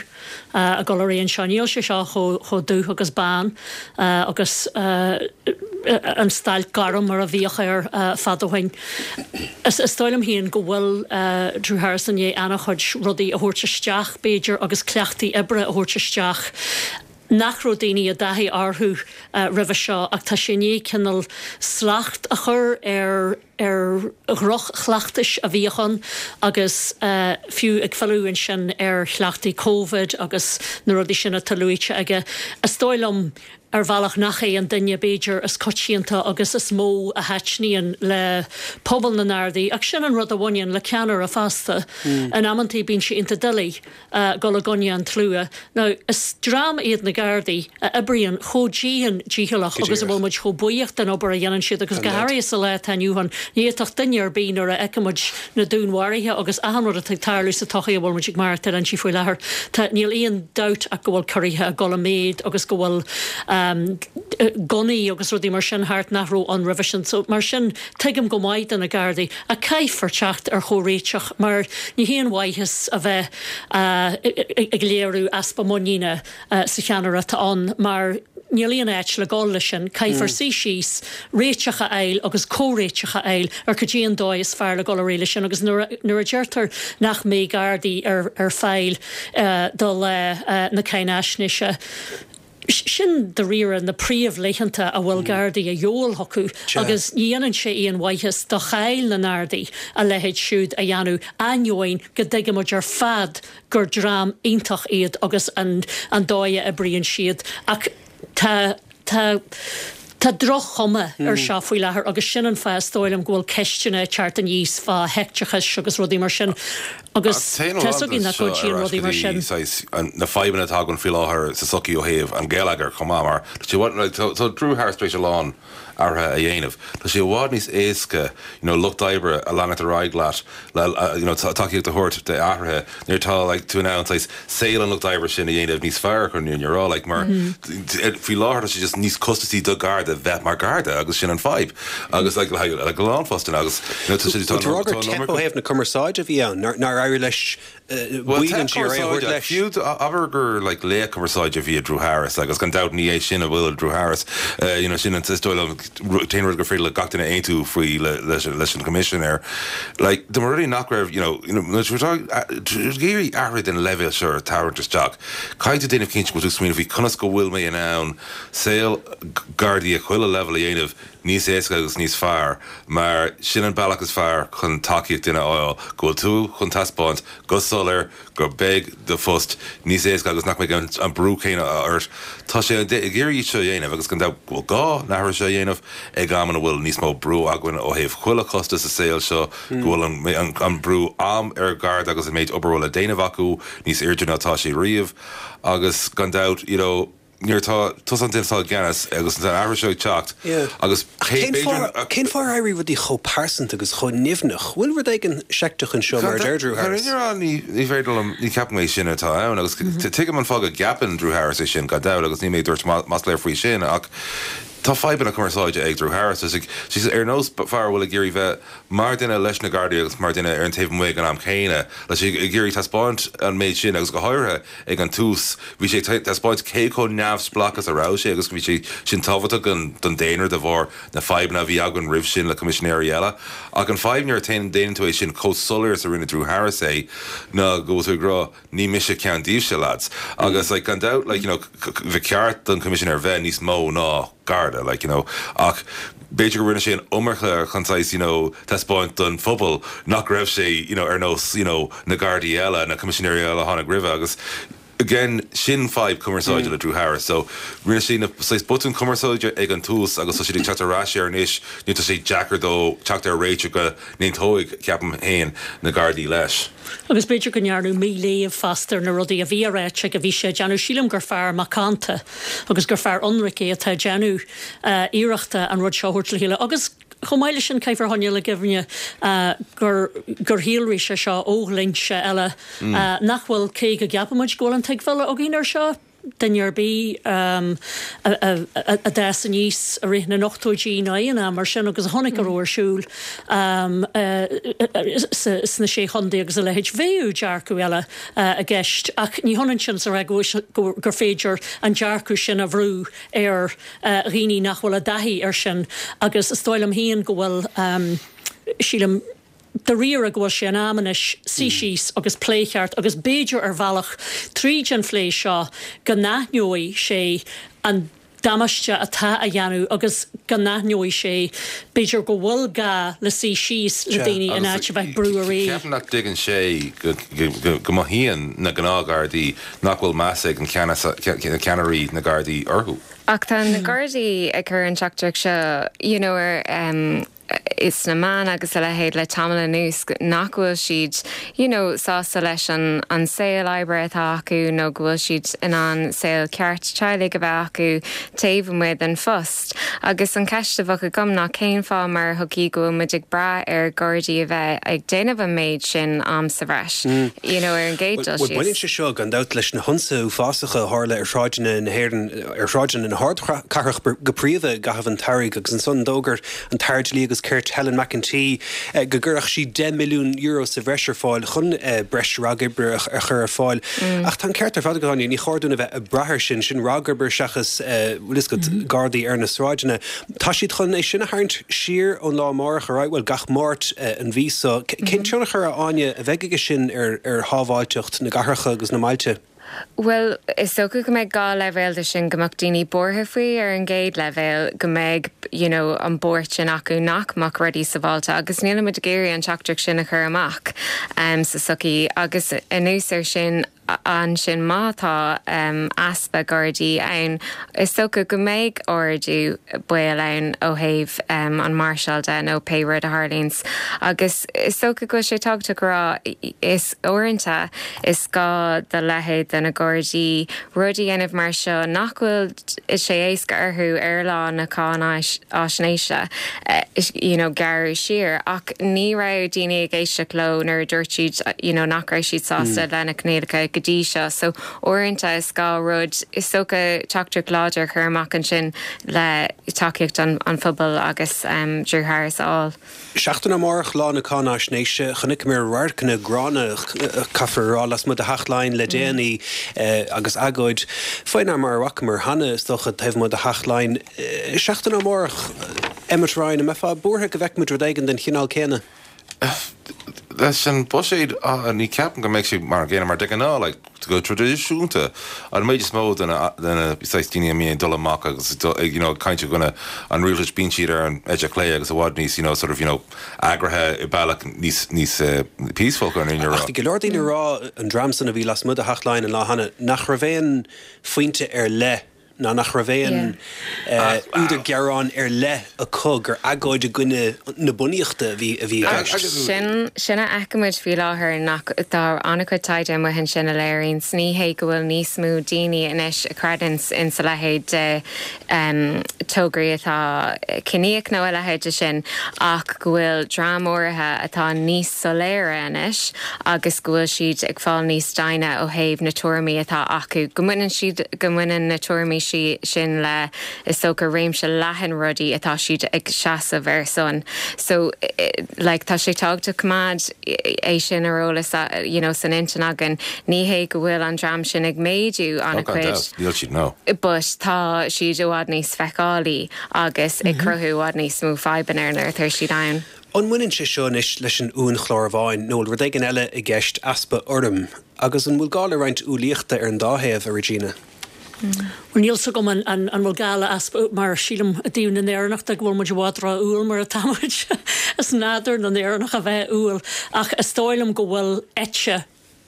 ag dul ar aghaidh anseo. Níl sé seo chomh dubh agus bán agus an stailc gorm mar a bhíodh air fadó ó shin. Is dóigh liom féin go bhfuil Drew Harris i ndiaidh an-chuid rudaí a thabhairt isteach b'fhéidir agus cleachtaí oibre a thabhairt isteach. Nach raibh daoine i dtaithí orthu roimhe seo ach tá sé i ndiaidh cineál slacht a chur ar ar dhroch-chleachtais a bhíodh ann agus fiú ag filleadh ansin ar chleachtaí Covid agus na rudaí sin atá luaite aige. Is dóigh liom ar bhealach nach é an duine b'fhéidir is coitianta agus is mó a thaitníonn le pobal na nGardaí ach sin an rud a bhaineann le ceannaire fosta. In amantaí bíonn sé iontach doiligh dul i gcoinne an tslua. Now is dream iad na Gardaí a oibríonn chomh dian dícheallach agus a bhfuil muid chomh buíoch den obair a dhéanann siad agus go háirithe sa lá atá inniu ann. Ní fhéadfadh duine ar bith nuair a fheiceann muid na dúnmharuithe agus achan rud atá ag tarlú sa tsochaí a bhfuil muid ag maireachtáil inti faoi láthair. Tá níl aon dabht ach go bhfuil ciorruithe ag dul i méid agus go bhfuil um, gunnaí agus rudaí mar sin thart nach raibh ann roimhe sin. So mar sin tuigim go maith do na Gardaí a caithfear teacht ar chomhréiteach mar ní haon mhaitheas a bheith uh, ag léiriú easpa muiníne uh, sa cheannaire atá ann mar níl aon áit le dul leis sin, caithfear suí síos réiteach a fháil agus comhréiteach a fháil ar cad é an dóigh is fearr le dul ar aghaidh leis sin agus nuair a deirtear nach mbeidh Gardaí ar, ar fáil uh, do le uh, na cáinaisnéise. Sin dáiríre na príomhlaethanta a bhfuil Gardaí a dhíobháil acu agus ní dhéanann sé aon mhaitheas do cháil na nGardaí a leithéid siúd a dhéanamh ainneoin go dtuigimid ar fad gur dream iontach iad agus an, an dóigh a oibríonn siad ach tá tá Tá droch-chuma ar seo faoi láthair agus sin an fáth is dóigh liom go bhfuil ceisteanna ag teacht aníos fá heicteachas agus rudaí mar sin. Agus tá 's againn nach gcuidíonn rudaí mar sin. Na fadhbanna atá againn faoi láthair sa tsochaí ó thaobh an gheilleagair chomh maith mar tá Drew Harris tar éis a lán athruithe a dhéanamh. Tá sé i bhfad níos éasca you know, lucht oibre a leanacht ar aghaidh leat le you know, tacaíocht a thabhairt d'athruithe nuair atá like, tú in ann saghas saol an lucht oibre sin a dhéanamh níos fearr chun an rá like, mar mm -hmm. faoi láthair tá sé just níos costasaí do Garda bheith mar Garda agus sin an fadhb agus like, like, like, lán fostaithe agus you know, tá sé- tá- Tá tá- teip ó thaobh na cumarsáide a bhí ann nár éirigh leis baill an G R A a thabhairt leis. Fiú abair gur like, laoch cumarsáide a bhí Drew Harris agus gan dabht ní é sin a bhfuil Drew Harris uh, you know, sin an is dóigh liom t-aon rud gur féidir le gach duine aontú faoi le, leis, leis an commissioner. Like, de mar rudaí nach raibh you know, you know, géirí athraithe den leibhéal seo tarraingt isteach. Caithfidh tú déanamh cinnte go bhfuil tú smaoineamh faoi conas go bhfuil mé in ann saol Gardaí ag chuile level a dhéanamh níos éasca agus níos fearr, mar sin an bealach is fearr chun tacaíocht duine a fháil, go bhfuil tú chun taispeáint go soiléir go mbeidh do phost níos éasca agus nach mbeidh an, an brú céanna ort. Tá sé ag iarraidh iad seo a dhéanamh agus gan dabht go bhfuil gá na hathruithe seo a dhéanamh ag am ina bhfuil níos mó brú againn ó thaobh chuile chostas sa saol seo, go bhfuil an, an, an brú am ar Gharda agus an méid obair a bhfuil le déanamh acu níos airde ná tá sé riamh agus gan dabht, you know, nuair atá tusa an duine atá i gceannas agus an athrú seo ag teacht agus cé Cén fáth cén fáth ar éirigh rudaí chomh pearsanta agus chomh nimhneach? Bhfuil rud éigin seicteach anseo mar a deir Drew Harris? Ní ní féidir liom ní ceapaim é sin atá ann agus tuigim an fáth go gceapann Drew Harris é sin gan dabht agus ní mé dúirt masla faoi sin ach tá fadhbanna cumarsáide ag Drew Harris is ag ar nós fear a bhfuil ag iarraidh bheith mar duine leis na Gardaí agus mar duine ar an taobh amuigh ag an am céanna le sé ag iarraidh taispeáint an méid sin agus go háirithe ag an tús bhí sé taispeáint cé chomh neamhspleách is a raibh sé agus bhí sé sin tábhachtach don don daonra de bharr na fadhbanna a bhí againn roimh sin le coimisinéirí eile ach an fadhb nuair a déanann tú é sin chomh soiléir is a rinne Drew Harris é ná go bhfuil tú ag rá ní mise ceann díobhse lads agus like gan dabht like you know ba cheart don coimisinéir bheith níos mó ná Garda like you know ach b'fhéidir go rinne sé an iomarca chun saghas you know taispeáint don phobal nach raibh sé you know ar nós you know na Gardaí eile na coimisinéirí eile a tháinig roimhe agus again sin fadhb cumarsáide le Drew Harris so rinne sé na saghas botún cumarsáide ag an tús agus tá sé ag teacht ar ais air anois nó tá sé deacair dó teacht ar réiteach go n-aontóidh ceapaim féin na Gardaí leis. Agus b'fhéidir go ndearnadh míléamh fosta ar na rudaí a bhí á ráite aige a bhí sé ag déanamh. Sílim gur fear macánta agus gur fear ionraic é atá ag déanamh iarrachta an rud seo a thabhairt le chéile. Agus chomh maith leis sin caithfear a choinneáil i gcuimhne gur gur shíolraigh sé seo ó dhlínse eile nach bhfuil, cé go gceapaimid go bhfuil an tuigbheáil againn air seo, duine ar bith a d'fhás aníos i rith na n-ochtóidí nó aon am mar sin agus a chonaic a raibh ar siúl sna Sé Chontae agus a leithéid, bheadh dearcadh eile i gceist. Ach ní hionann sin is a rá gur féidir an dearcadh sin a bhrú ar dhaoine nach bhfuil i dtaithí air sin agus is dóigh liom féin go bhfuil, sílim, dáiríre go bhfuil sé in am anois suí síos agus plé cheart agus b'fhéidir ar bhealach tríd an phlé seo go n-aithneoidh sé an damáiste atá á dhéanamh agus go n-aithneoidh sé b'fhéidir go bhfuil gá le suí síos le daoine in áit a bheith ag brú ar aghaidh. Ceapaim nach dtuigeann sé go mothaíonn na gnáthghardaí nach bhfuil meas ag na ceannairí na Gardaí orthu. Ach tá na Gardaí ag cur an teachtaireacht seo you know ar sna meáin agus a leithéid le tamall anuas nach bhfuil siad you know sásta leis an an saol oibre atá acu nó go bhfuil siad in ann saol ceart teaghlaigh a bheith acu taobh amuigh den phost. Agus an ceist a bheadh agam ná cén fáth mar shochaí go bhfuil muid ag brath ar Ghardaí a bheith ag déanamh an méid sin am sa bhreis you know ar an gcéad dul Bhuel síos. baineann sé seo gan dabht leis na hionsaithe uafásacha a tharla ar shráideanna na hÉireann, ar shráideanna na hardchathrach go príomha i gcaitheamh an tsamhraidh agus ansan d'fhógair an tAire Dlí agus Cirt Helen McEntee go gcuirfeadh sí deich milliún euro sa bhreis ar fáil chun breis ragoibre a chur ar fáil. Ach tá an ceart ar fad agat, Áine, ní chóir dúinn a bheith ag brath air sin, sin ragoibre seachas, bhfuil fhios agat, Gardaí ar na sráideanna. Tá siad chun é sin a tharraingt siar ón lá amárach ar aghaidh, bhuel, gach Máirt an mhí seo. Cén tionchar, a Áine, a bheidh aige sin ar shábháilteacht na gcathracha agus na mbailte? Bhuel, is dócha go mbeidh dhá leibhéal de sin, go mbeadh daoine buartha faoi ar an gcéad leibhéal, go mbeidh you know an buairt sin acu nach mbeadh rudaí sábháilte agus nílimid ag iarraidh an teachtaireacht sin a chur amach um, sa sochaí agus anuas air sin, ansin má tá um, easpa Gardaí ann is dócha go mbeidh ardú baol ann ó thaobh um, an máirseáil de nó pé rud a tharlaíonns agus is dócha go sé tábhachtach go rá is uaireanta is gá do leithéid de na Gardaí rudaí a dhéanamh mar seo nach bhfuil sé éasca orthu ar lá na cáinaisnéise uh, you know, gearradh siar ach ní raibh daoine ag éisteacht leo nuair a dúirt siad you know, nach raibh siad sásta mm. lena coinníollacha go dtí seo so uaireanta is gá rud is dócha teachtaireacht láidir chur amach ansin le tacaíocht an, an phobal agus um, Drew Harris á. Seachtain amárach lá na cáinaisnéise chonaiceamar radharcanna gránna caithfear rá lasmuigh de Theach Laighean le déanaí eh, agus agóid faoi mar a bhfacamar cheana is dócha taobh amuigh de Theach Laighean. Eh, seachtain amárach Emmet Ryan an mbeifeá buartha go bhfeicfimid rud éigin den chineál céanna. Leis an buiséad ní ceapaim go mbeidh sé mar gcéanna mar de ghnáth like, go traidisiúnta an méid is mó de na daoine a mbíonn dul amach agus you know, caint i gcoinne an rialtais bíonn siad ar an eite chlé agus i bhfad níos you know, sort of, you know, eagraithe i bealach níos níos uh, peaceful chun an Ach bhí go leor daoine rá an dream san a bhí lasmuigh de Theach Laighean an lá cheana nach raibh aon phointe ar leith ná nach raibh aon údar gearáin ar leith acu gur agóid i gcoinne na bunaíochta a bhí a bhí Sin sin a fheicimid faoi láthair nach tá an-chuid taighde amuigh ansin a léiríonn ní hé go bhfuil níos mó daoine anois a chreideann in sa leithéid de um, tograí atá ciníoch nó a leithéid de sin ach go bhfuil dream áirithe atá níos soiléire anois agus go bhfuil siad ag fáil níos daine ó thaobh na tuairimí atá acu go mbaineann siad go mbaineann na tuairimí sí sin le is dócha réimse leathan rudaí atá siad ag seasamh ar son. So like, tá sé tábhachtach coimeád é sin ar eolas you know, san intinn againn ní hé go bhfuil an dream sin ag méadú an-chuid. Níl siad no. But tá siad i bhfad níos feiceálaí agus ag cruthú i bhfad níos mó fadhbanna nuair atá siad ann. An mbaineann sé seo anois leis an uainchlár amháin nó rud éigin eile i gceist easpa urraim, agus an bhfuil gá le roinnt umhlaíochta ar an dá thaobh a Regina. Well níl a fhios agam an an an bhfuil gá le easpa mar sílim i dtaobh na nÉireannach go bhfuil muid i bhfad ró-umhal mar atá muid is nádúr na nÉireannach a bheith umhal ach is dóigh liom go bhfuil eite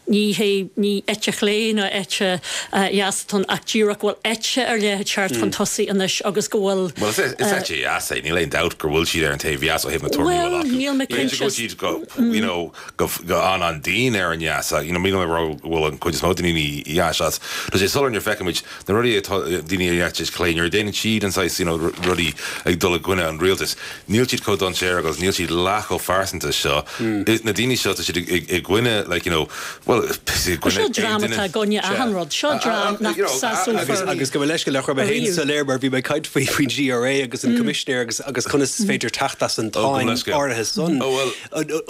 ní hé ní eite chlé ná eite dheas ach díreach bhfuil eite ar leith teacht chun tosaigh anois agus go bhfuil Well is is eite dheas é níl aon dabht gur bhfuil siad ar an taobh dheas ó thaobh na tuairimí Well níl mé cinnte go siad go you know go go an an dín ar an dheas you know mí bhfuil an chuid is mó daoine dheas as Tá sé soiléir nuair feicimid na rudaí atá daoine ar dheas clé nuair a déanann siad an saghas you know rudaí ag dul i gcoinne an rialtais. Níl siad chomh dainséarach agus níl siad leath chomh phearsanta seo. Na daoine seo tá siad i gcoinne like you know well Seo dream atá i gcoinne achan rud seo dream nach sásófar agus go leis go le mé féin soiléir mar bhí mé caint faoi faoin GRA agus an coimisinéir agus agus conas is féidir teacht as an táin áirithe san.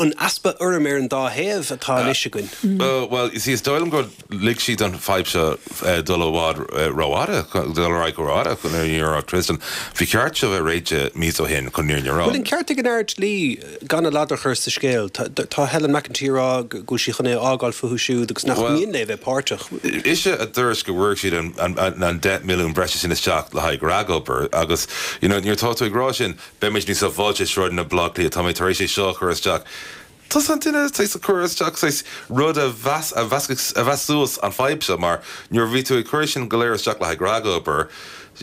An easpa urraim ar an dá thaobh atá anois againn. Well is is dóigh liom gur lig siad an fadhb seo dul i bhfad rófhada dul ar aghaidh rófhada chun ar Tristan. Bhí ceart seo bheith réitithe mí ó shin chun an fhírinne a rá. Bhfuil an ceart ag an Aire Dlí gan a ladar a chur sa scéal Tá Helen McEntee rá go bhfuil sí chun é a fhágáil fúthu siúd agus nach mian léi bheith páirteach. Ise a dúirt go bhfuair siad an deich milliún breise sin isteach le haghaidh ragobair agus you know, nuair atá tú ag rá sin beimid níos sábháilte i sráideanna Bhaile Átha Cliath tá mé tar éis é seo a chur isteach. Tusa an duine tar a chur isteach saghas rud a mheas a mheas a mheas suas an fadhb seo mar nuair a bhí tú ag cur sin go léir isteach le haghaidh ragobair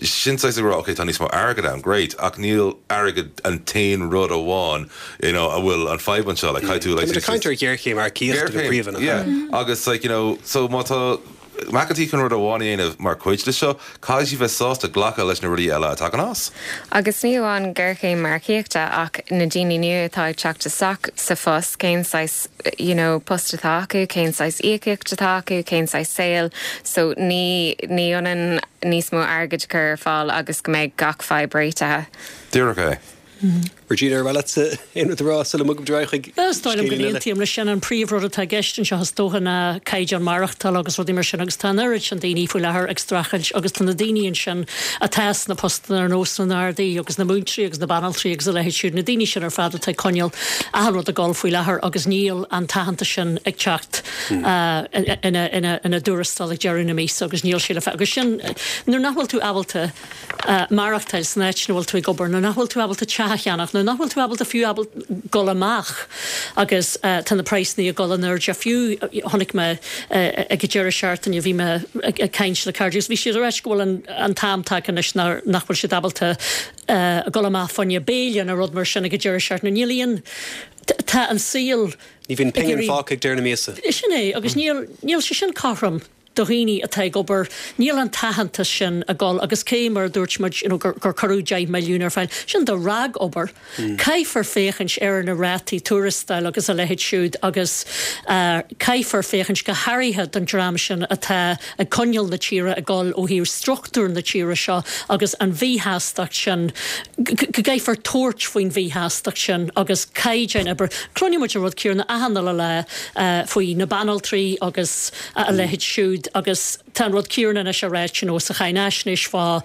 sin saghas ag rá ok tá níos mó airgead ann great ach níl airgead an t-aon rud amháin you know, a bhfuil an fadhb anseo like caithfidh tú like Tá caint ar ghéarchéim earcaíochta go príomha. Yeah agus like you know so má tá McEntee chun rud amháin a dhéanamh mar chuid de seo caithfidh sí bheith sásta glacadh leis na rudaí eile a tagann as. Agus ní amháin géarchéim earcaíochta ach na daoine nua atá ag teacht isteach sa phost cén saghas you know, post atá acu, cén saghas íocaíocht atá acu, cén saghas saol, so ní ní ionann níos mó airgid chur ar fáil agus go mbeidh gach fadhb réitithe. Díreach é. Regina ar mhaith leatsa aon rud a rá sula mbogfaimid ar aghaidh chuig Is dóigh liom go n-aontaím leis sin an príomhrud atá i gceist anseo is dócha ná caighdeán maireachtála agus rudaí mar sin agus tá an oiread sin daoine faoi láthair ag streachailt agus tá na daoine ansin atá sna postanna ar nós na nGardaí agus na múinteoirí agus na banaltraí agus a leithéid siúd na daoine sin ar fad atá ag coinneáil achan rud ag dul faoi láthair agus níl an t-aitheantas sin ag teacht ina ina dtuarastal ag deireadh na míosa agus níl sé le agus sin nuair nach bhfuil tú ábalta maireachtáil san áit ina bhfuil tú ag obair, nuair nach bhfuil tú ábalta teach a cheannach, nuair nach bhfuil tú ábalta fiú ábalta dul amach agus tá na praghsanna ag dul in airde fiú chonaic mé ag an deireadh seachtaine bhí mé ag caint le cairde agus bhí siad ag ráit go bhfuil an an t-am tagtha anois nach bhfuil siad ábalta dul amach fá choinne béile nó rud mar sin ag an deireadh seachtaine. Níl aon tá an saol Ní bhíonn pingin fágtha ag deireadh na míosa. Sin é agus níl níl sé sin cothrom do dhaoine atá ag obair, níl an t-aitheantas sin ag dul agus cé mar a dúirt muid you know, gur, gur cuireadh deich milliún ar fáil, sin do ragobair. Mm. Caithfear féachaint ar na rátaí tuarastail agus a leithéid siúd agus uh, caithfear féachaint go háirithe don dream sin atá ag coinneáil na tíre ag dul ó thaobh struchtúr na tíre seo agus an mhíshástacht sin go gcaithfear tabhairt faoin mhíshástacht sin agus caighdeán oibre. Cluineann muid an rud céanna achan uile lá uh, faoi na banaltraí agus uh, a leithéid siúd agus tá an rud céanna anois á ráit you know, sa cháinaisnéis fá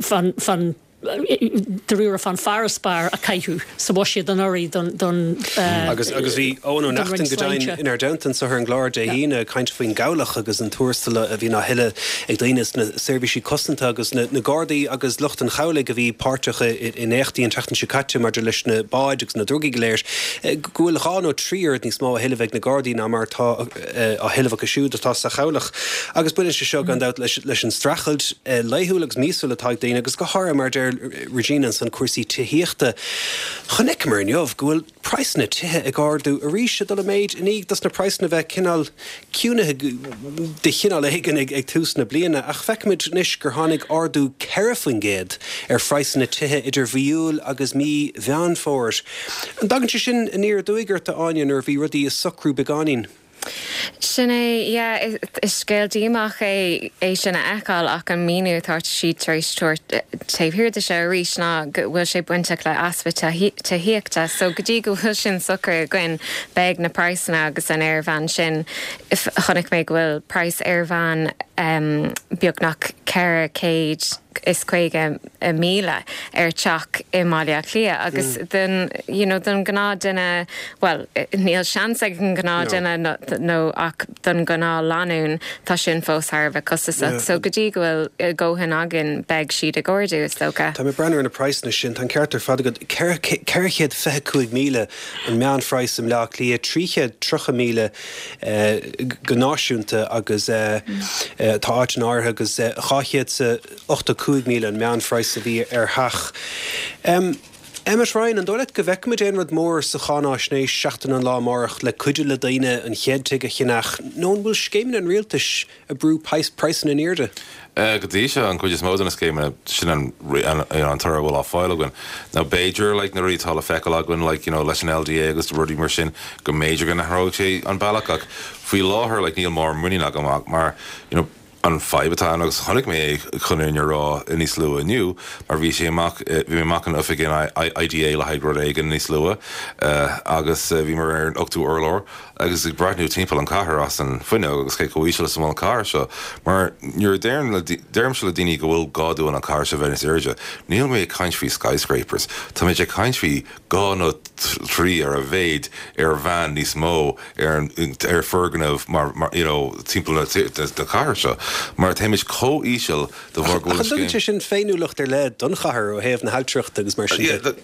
fan fan de fan farasbarr a caitheadh sa bhuiséad anuraidh don don agus agus bhí Eoin Ó Neachtain go deimhin inár dteannta anseo ar an gclár Dé hAoine ag caint faoin gcabhlach agus an tuarastal a bhíonn á thuilleamh ag daoine sna seirbhísí cosanta agus na na Gardaí agus lucht an chabhlaigh a bhí páirteach in éachtaí an tseachtain seo caite maidir leis na báid agus na drugaí go léir go bhfuil dhá nó trí oiread níos mó á thuilleamh ag na Gardaí ná mar atá á thuilleamh acu siúd atá sa chabhlach. Agus baineann sé seo gan dabht leis leis an streachailt laethúil agus míosúil atá ag daoine agus go háirithe mar deir Regina ansan cúrsaí tithíochta. Chonaiceamar inniu go bhfuil praghsanna tithe ag ardú arís ag dul i méid i ndiaidh dos na praghsanna bheith cineál ciúnaithe de chineál éigin ag, ag tús na bliana, ach feicimid anois gur tháinig ardú ceithre faoin gcéad ar phraghsanna tithe idir mhí Iúil agus mí Mheán Fómhair. An dtagann sé sin aniar aduaidh ort a Áine nuair a bhí rudaí ag socrú beagáinín? Sin é yeah, is scéal díomách é é sin a fheiceáil ach an míniú atá siad tar éis tabhairt taobh thiar de seo arís ná go bhfuil sé bainteach le easpa tithíochta, so go dtí go bhfuil sin socraithe againn beidh na praghsanna agus an airmheán sin chonaic mé go bhfuil praghas airmheán um, beagnach ceithre chéad is caoga míle ar teach i mBaile Átha Cliath agus mm. den you know, don gnáthdhuine well níl seans ag an gnáthdhuine no, no ach don gnáthlánúin tá sin fós thar a bheith costasach. Yeah. So go dtí go bhfuil dóthain againn beidh siad ag ardú is dócha. Tá mé ag breathnú ar na praghsanna sin tá an ceart ar fad agat ceithre chéad fiche cúig míle an meánphraghas i mBleá Cliath trí chéad tríocha míle go náisiúnta agus mm. tá áit in áirithe agus dhá chéad ochtó cúig míle an meánphraghas a bhí ar theach. Um, Emmet Ryan, an dóigh leat go bhfeicfimid aon rud mór sa cháinaisnéis seachtain an lá amárach le cuidiú le daoine an chéad tigh a cheannach, nó an bhfuil scéimeanna an rialtais ag brú praghsanna in airde? Go dtí seo an chuid is mó de na scéimeanna sin an an toradh a bhfuil á fáil againn. Now b'fhéidir like, na rudaí atá le feiceáil againn like, you know, leis an LDA agus rudaí mar sin go mb'fhéidir go n-athróidh sé an bealach ach faoi láthair like, níl mórán muinín agam mar you know, an fadhb atá ann agus chonaic mé é chun an rá níos luaithe inniu mar bhí sé amach bhí mé amach in oifig in IDA le haghaidh rud éigin níos luaithe agus bhí mé ar an ochtú urlár agus ag breathnú timpeall an chathair as an fuinneog agus cé chomh híseal is a bhfuil an chathair seo mar nuair a deirimse le daoine go bhfuil gá dúinn an chathair seo bheith níos airde níl mé ag caint faoi skyscrapers Tá mé ag caint faoi dhá nó trí ar a mhéad ar mheán níos mó ar ar foirgneamh mar mar you know timpeall na cathair seo mar táimid chomh híseal de bharr go bhfuil Tugann sé sin féiniúlacht ar leith don chathair ó thaobh na hailtireachta agus mar sin de.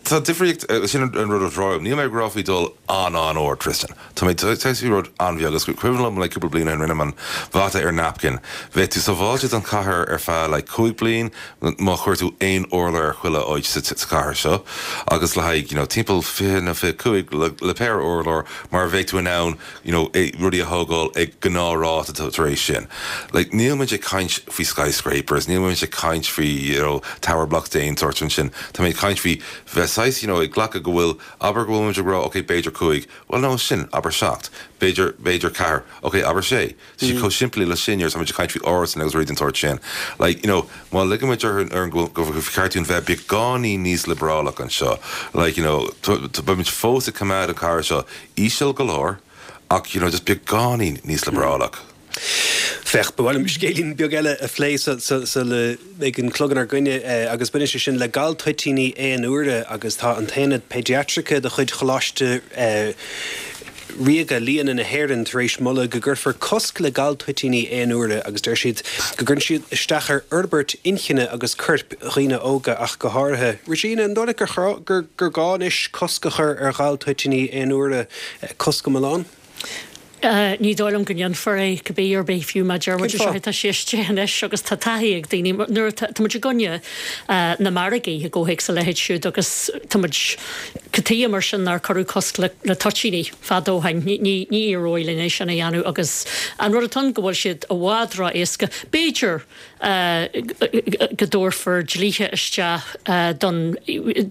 Tá difríocht sin an rud atá Níl mé ag rá faoi dul an an-ard Tristan. Tá mé tá rud an-bheag agus cuimhin liom le cúpla bliain rinne an mata ar napkin. Bheadh tú sábháilte don chathair ar feadh le cúig bliain má chuir tú aon urlár ar chuile áit sa chathair seo agus le haghaidh you know, timpeall fiche nó fiche cúig le, le péire urlár mar bheadh tú in ann you know, rudaí a thógáil ag gnáthráta tar éis sin. Like, níl muid ag caint faoi skyscrapers, níl muid ag caint faoi you know, tower blocks den sórt sin. Tá mé ag caint faoi bheith saghas you know, ag glacadh go bhfuil abair go bhfuil muid ag rá ok b'fhéidir cúig, well no sin abair seacht, b'fhéidir b'fhéidir ceathair, ok abair sé. Tá sé chomh simplí le sin tá muid ag caint faoi árasáin agus rudaí den sórt sin. Like, you know, má ligimid ar ar go cheart dúinn bheith beagáinín níos liobrálach anseo. Like, you know, beimid fós ag coimeád an chathair seo íseal go leor ach you know, just beagáinín níos liobrálach. Féach ba mhaith liom scéilín beag eile a phlé sula mbeidh an clog inár gcoinne agus baineann sé sin le gal toitíní aon uaire agus tá an t-aonad péidiatraice de chuid Choláiste Ríoga Lianna na hÉireann tar éis moladh go gcuirfear cosc le galtoitíní aon uaire agus deir siad go gcuireann siad isteach ar fhorbairt inchinne agus coirp dhaoine óga ach go háirithe. Regina, an dóigh leat gur gur gur gá anois cosc a chur ar ghaltoitíní aon uaire, cosc iomlán? Ní dóigh liom go ndéanfar é cibé ar bith fiú má deir muid seo tá sé istigh anois agus tá taithí ag daoine nuair tá muid i gcoinne na margaí i gcomhthéacs a leithéid siúd agus tá muid cad chuige mar sin nár cuireadh cosc le le toitíní fadó ó shin. Ní ní éireoidh linn é sin a dhéanamh agus an rud atá ann go bhfuil siad i bhfad ró-éasca. B'fhéidir go dtabharfar dlíthe isteach don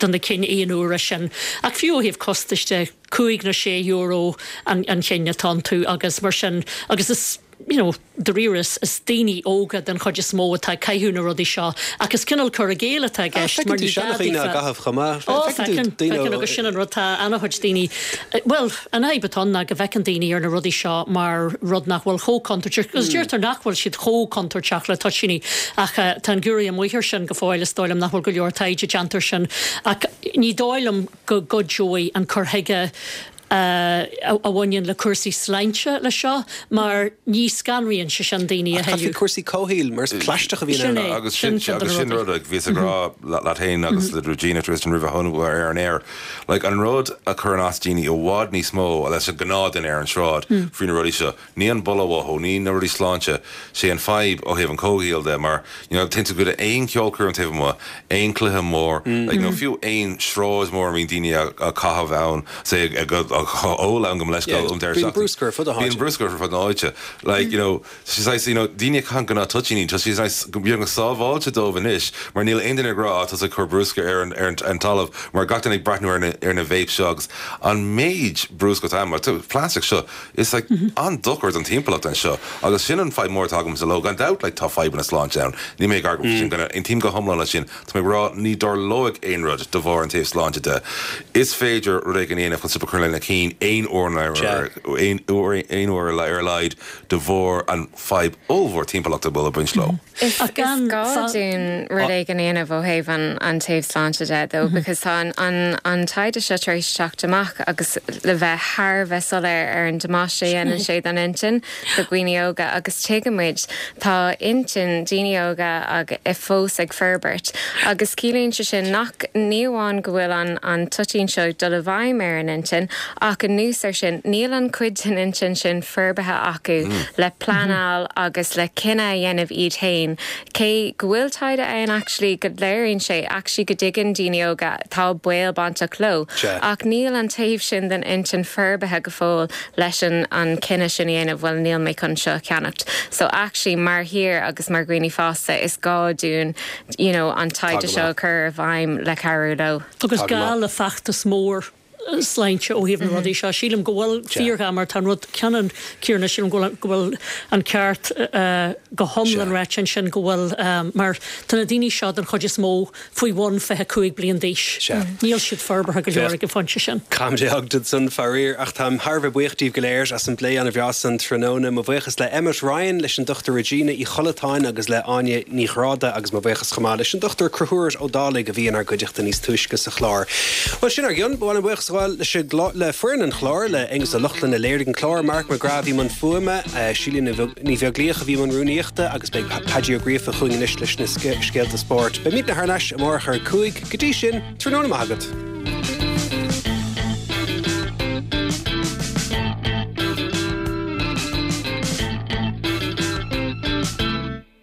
don na cinn aon uaire sin ach fiú ó thaobh costais de cúig nó sé euro an an cinn atá iontu agus mar sin agus is you know dáiríre is is daoine óga den chuid is mó atá ag caitheamh na rudaí seo ach is cineál cur i gcéill atá i gceist mar ní gá daofa chomh maith. Ó feiceann feiceann agus sin an rud tá an-chuid daoine bhuel an fhadhb atá ann ná go bhfeiceann daoine ar na rudaí seo mar rud nach bhfuil chomh contúirteach agus deirtear nach bhfuil siad chomh contúirteach le toitíní ach tá an giúiré amuigh air sin go fóill is dóigh liom nach bhfuil go leor taighde déanta air sin ach ní dóigh liom go gcuideoidh an cur chuige a bhaineann le cúrsaí sláinte leis seo mar ní scanraíonn sé sin daoine a Ach caithfidh thuilleadh. cúrsaí comhshaoil mar is plaisteach a bhíonn Sin ann. é, Agus sin sin ceann de agus na sin rudaí. rud like, bhíos ag rá leat féin agus le Regina Tristan roimh a tháinig ar an aer. Like, an rud a chuireann as daoine i bhfad níos mó leis an gnáthduine ar an sráid faoi na rudaí seo. Ní an boladh uathu, ní na rudaí sláinte, sé an fadhb ó thaobh an comhshaoil de mar you know, téann tú go dtí aon cheolchoirm taobh amuigh, aon cluiche mór, like, nó fiú aon sráid mór a mbíonn daoine a a caitheamh ann, say ag ag ól ann go leis Yeah, um bíonn bruscar ar fud na háite. Bíonn bruscar ar fud na háite. Like, you know, she's like, you know, daoine caitheann gnáth-toitíní, tá she's nice go bíonn go sábháilte dóibh anois, mar níl aon duine ag rá tá ag cur bruscar ar an ar an, an talamh, mar gach duine ag breathnú ar na ar na vape seo agus an méid bruscar atá mar plastic seo is like an-dochar don timpeallacht anseo agus sin an fadhb mór atá agam sa ló gan dabht like tá fadhbanna sláinte ann. Ní mé ag sin gonna aontaím go hiomlán leis sin Tá mé ag rá ní dtarlóidh aon rud de bharr an taobh sláinte de. Is féidir rud éigin a dhéanamh chun stop a chur lena cinn aon uair aon uair aon uair ar a laghad de bharr an fadhb ollmhór timpeallachta bhfuil ag baint leo. Is Ach gan gá fa- dúinn rud éigin a dhéanamh ó thaobh an an taobh sláinte de though because tá an an an taighde seo tar éis teacht amach agus le bheith thar bheith soiléir ar an damáiste a dhéanann sé don intinn do dhaoine óga agus tuigimid tá intinn daoine óga ag i fós ag forbairt agus ciallaíonn sé sin nach ní amháin go bhfuil an an toitín seo dul i bhfeidhm ar an intinn ach anuas air sin níl an chuid den intinn sin forbartha acu le pleanáil agus le cinneadh a dhéanamh iad féin. Cé go bhfuil taighde ann actually go léiríonn sé actually go dtuigeann daoine óga tá baol bainteach leo. Sea. Ach níl an taobh sin den intinn forbartha go fóill leis an an cinneadh sin a dhéanamh bhuel níl mé chun seo ceannacht. So actually mar thír agus mar dhaoine fásta is gá dúinn you know, an taighde Tá go seo maith. chur i bhfeidhm le cabhrú leo. Agus Tá go gá maith. le feachtas mór sláinte ó thaobh na rudaí seo. Sílim go bhfuil fíorghá mar tá rud ceannan céanna sílim go bhfuil- go bhfuil an ceart uh, go hiomlán Sea. ráite ansin go bhfuil um, mar tá na daoine seo den chuid is mó faoi bhun fiche cúig bliain d'aois. Sea. Níl siad forbartha go leor ag an phointe sin. Caimdé agad san faraor ach táim thar bheith buíoch díobh go léir as an bplé an-bhreá san tráthnóna mo bhuíochas le Emmet Ryan leis an Dr Regina Uí Chollatáin agus le Áine Ní Ghráda agus mo bhuíochas chomh maith leis an Dr Conchúr Ó Dálaigh a bhí inár gcuideachta níos túisce sa chlár. Well sin ár gcionn bháin buíochas leis le foireann an chláir le Aonghus Ó Lochlainn a léirigh an clár Mark McGrath i mbun fuaime Síle Ní Bheaglaoich a bhí i mbun rúnaíochta agus beidh Padí Ó Gríofa chugainn anois leis na scéalta spóirt. Beimidne thar n-ais amárach ar cúig go dtí sin tráthnóna maith agat.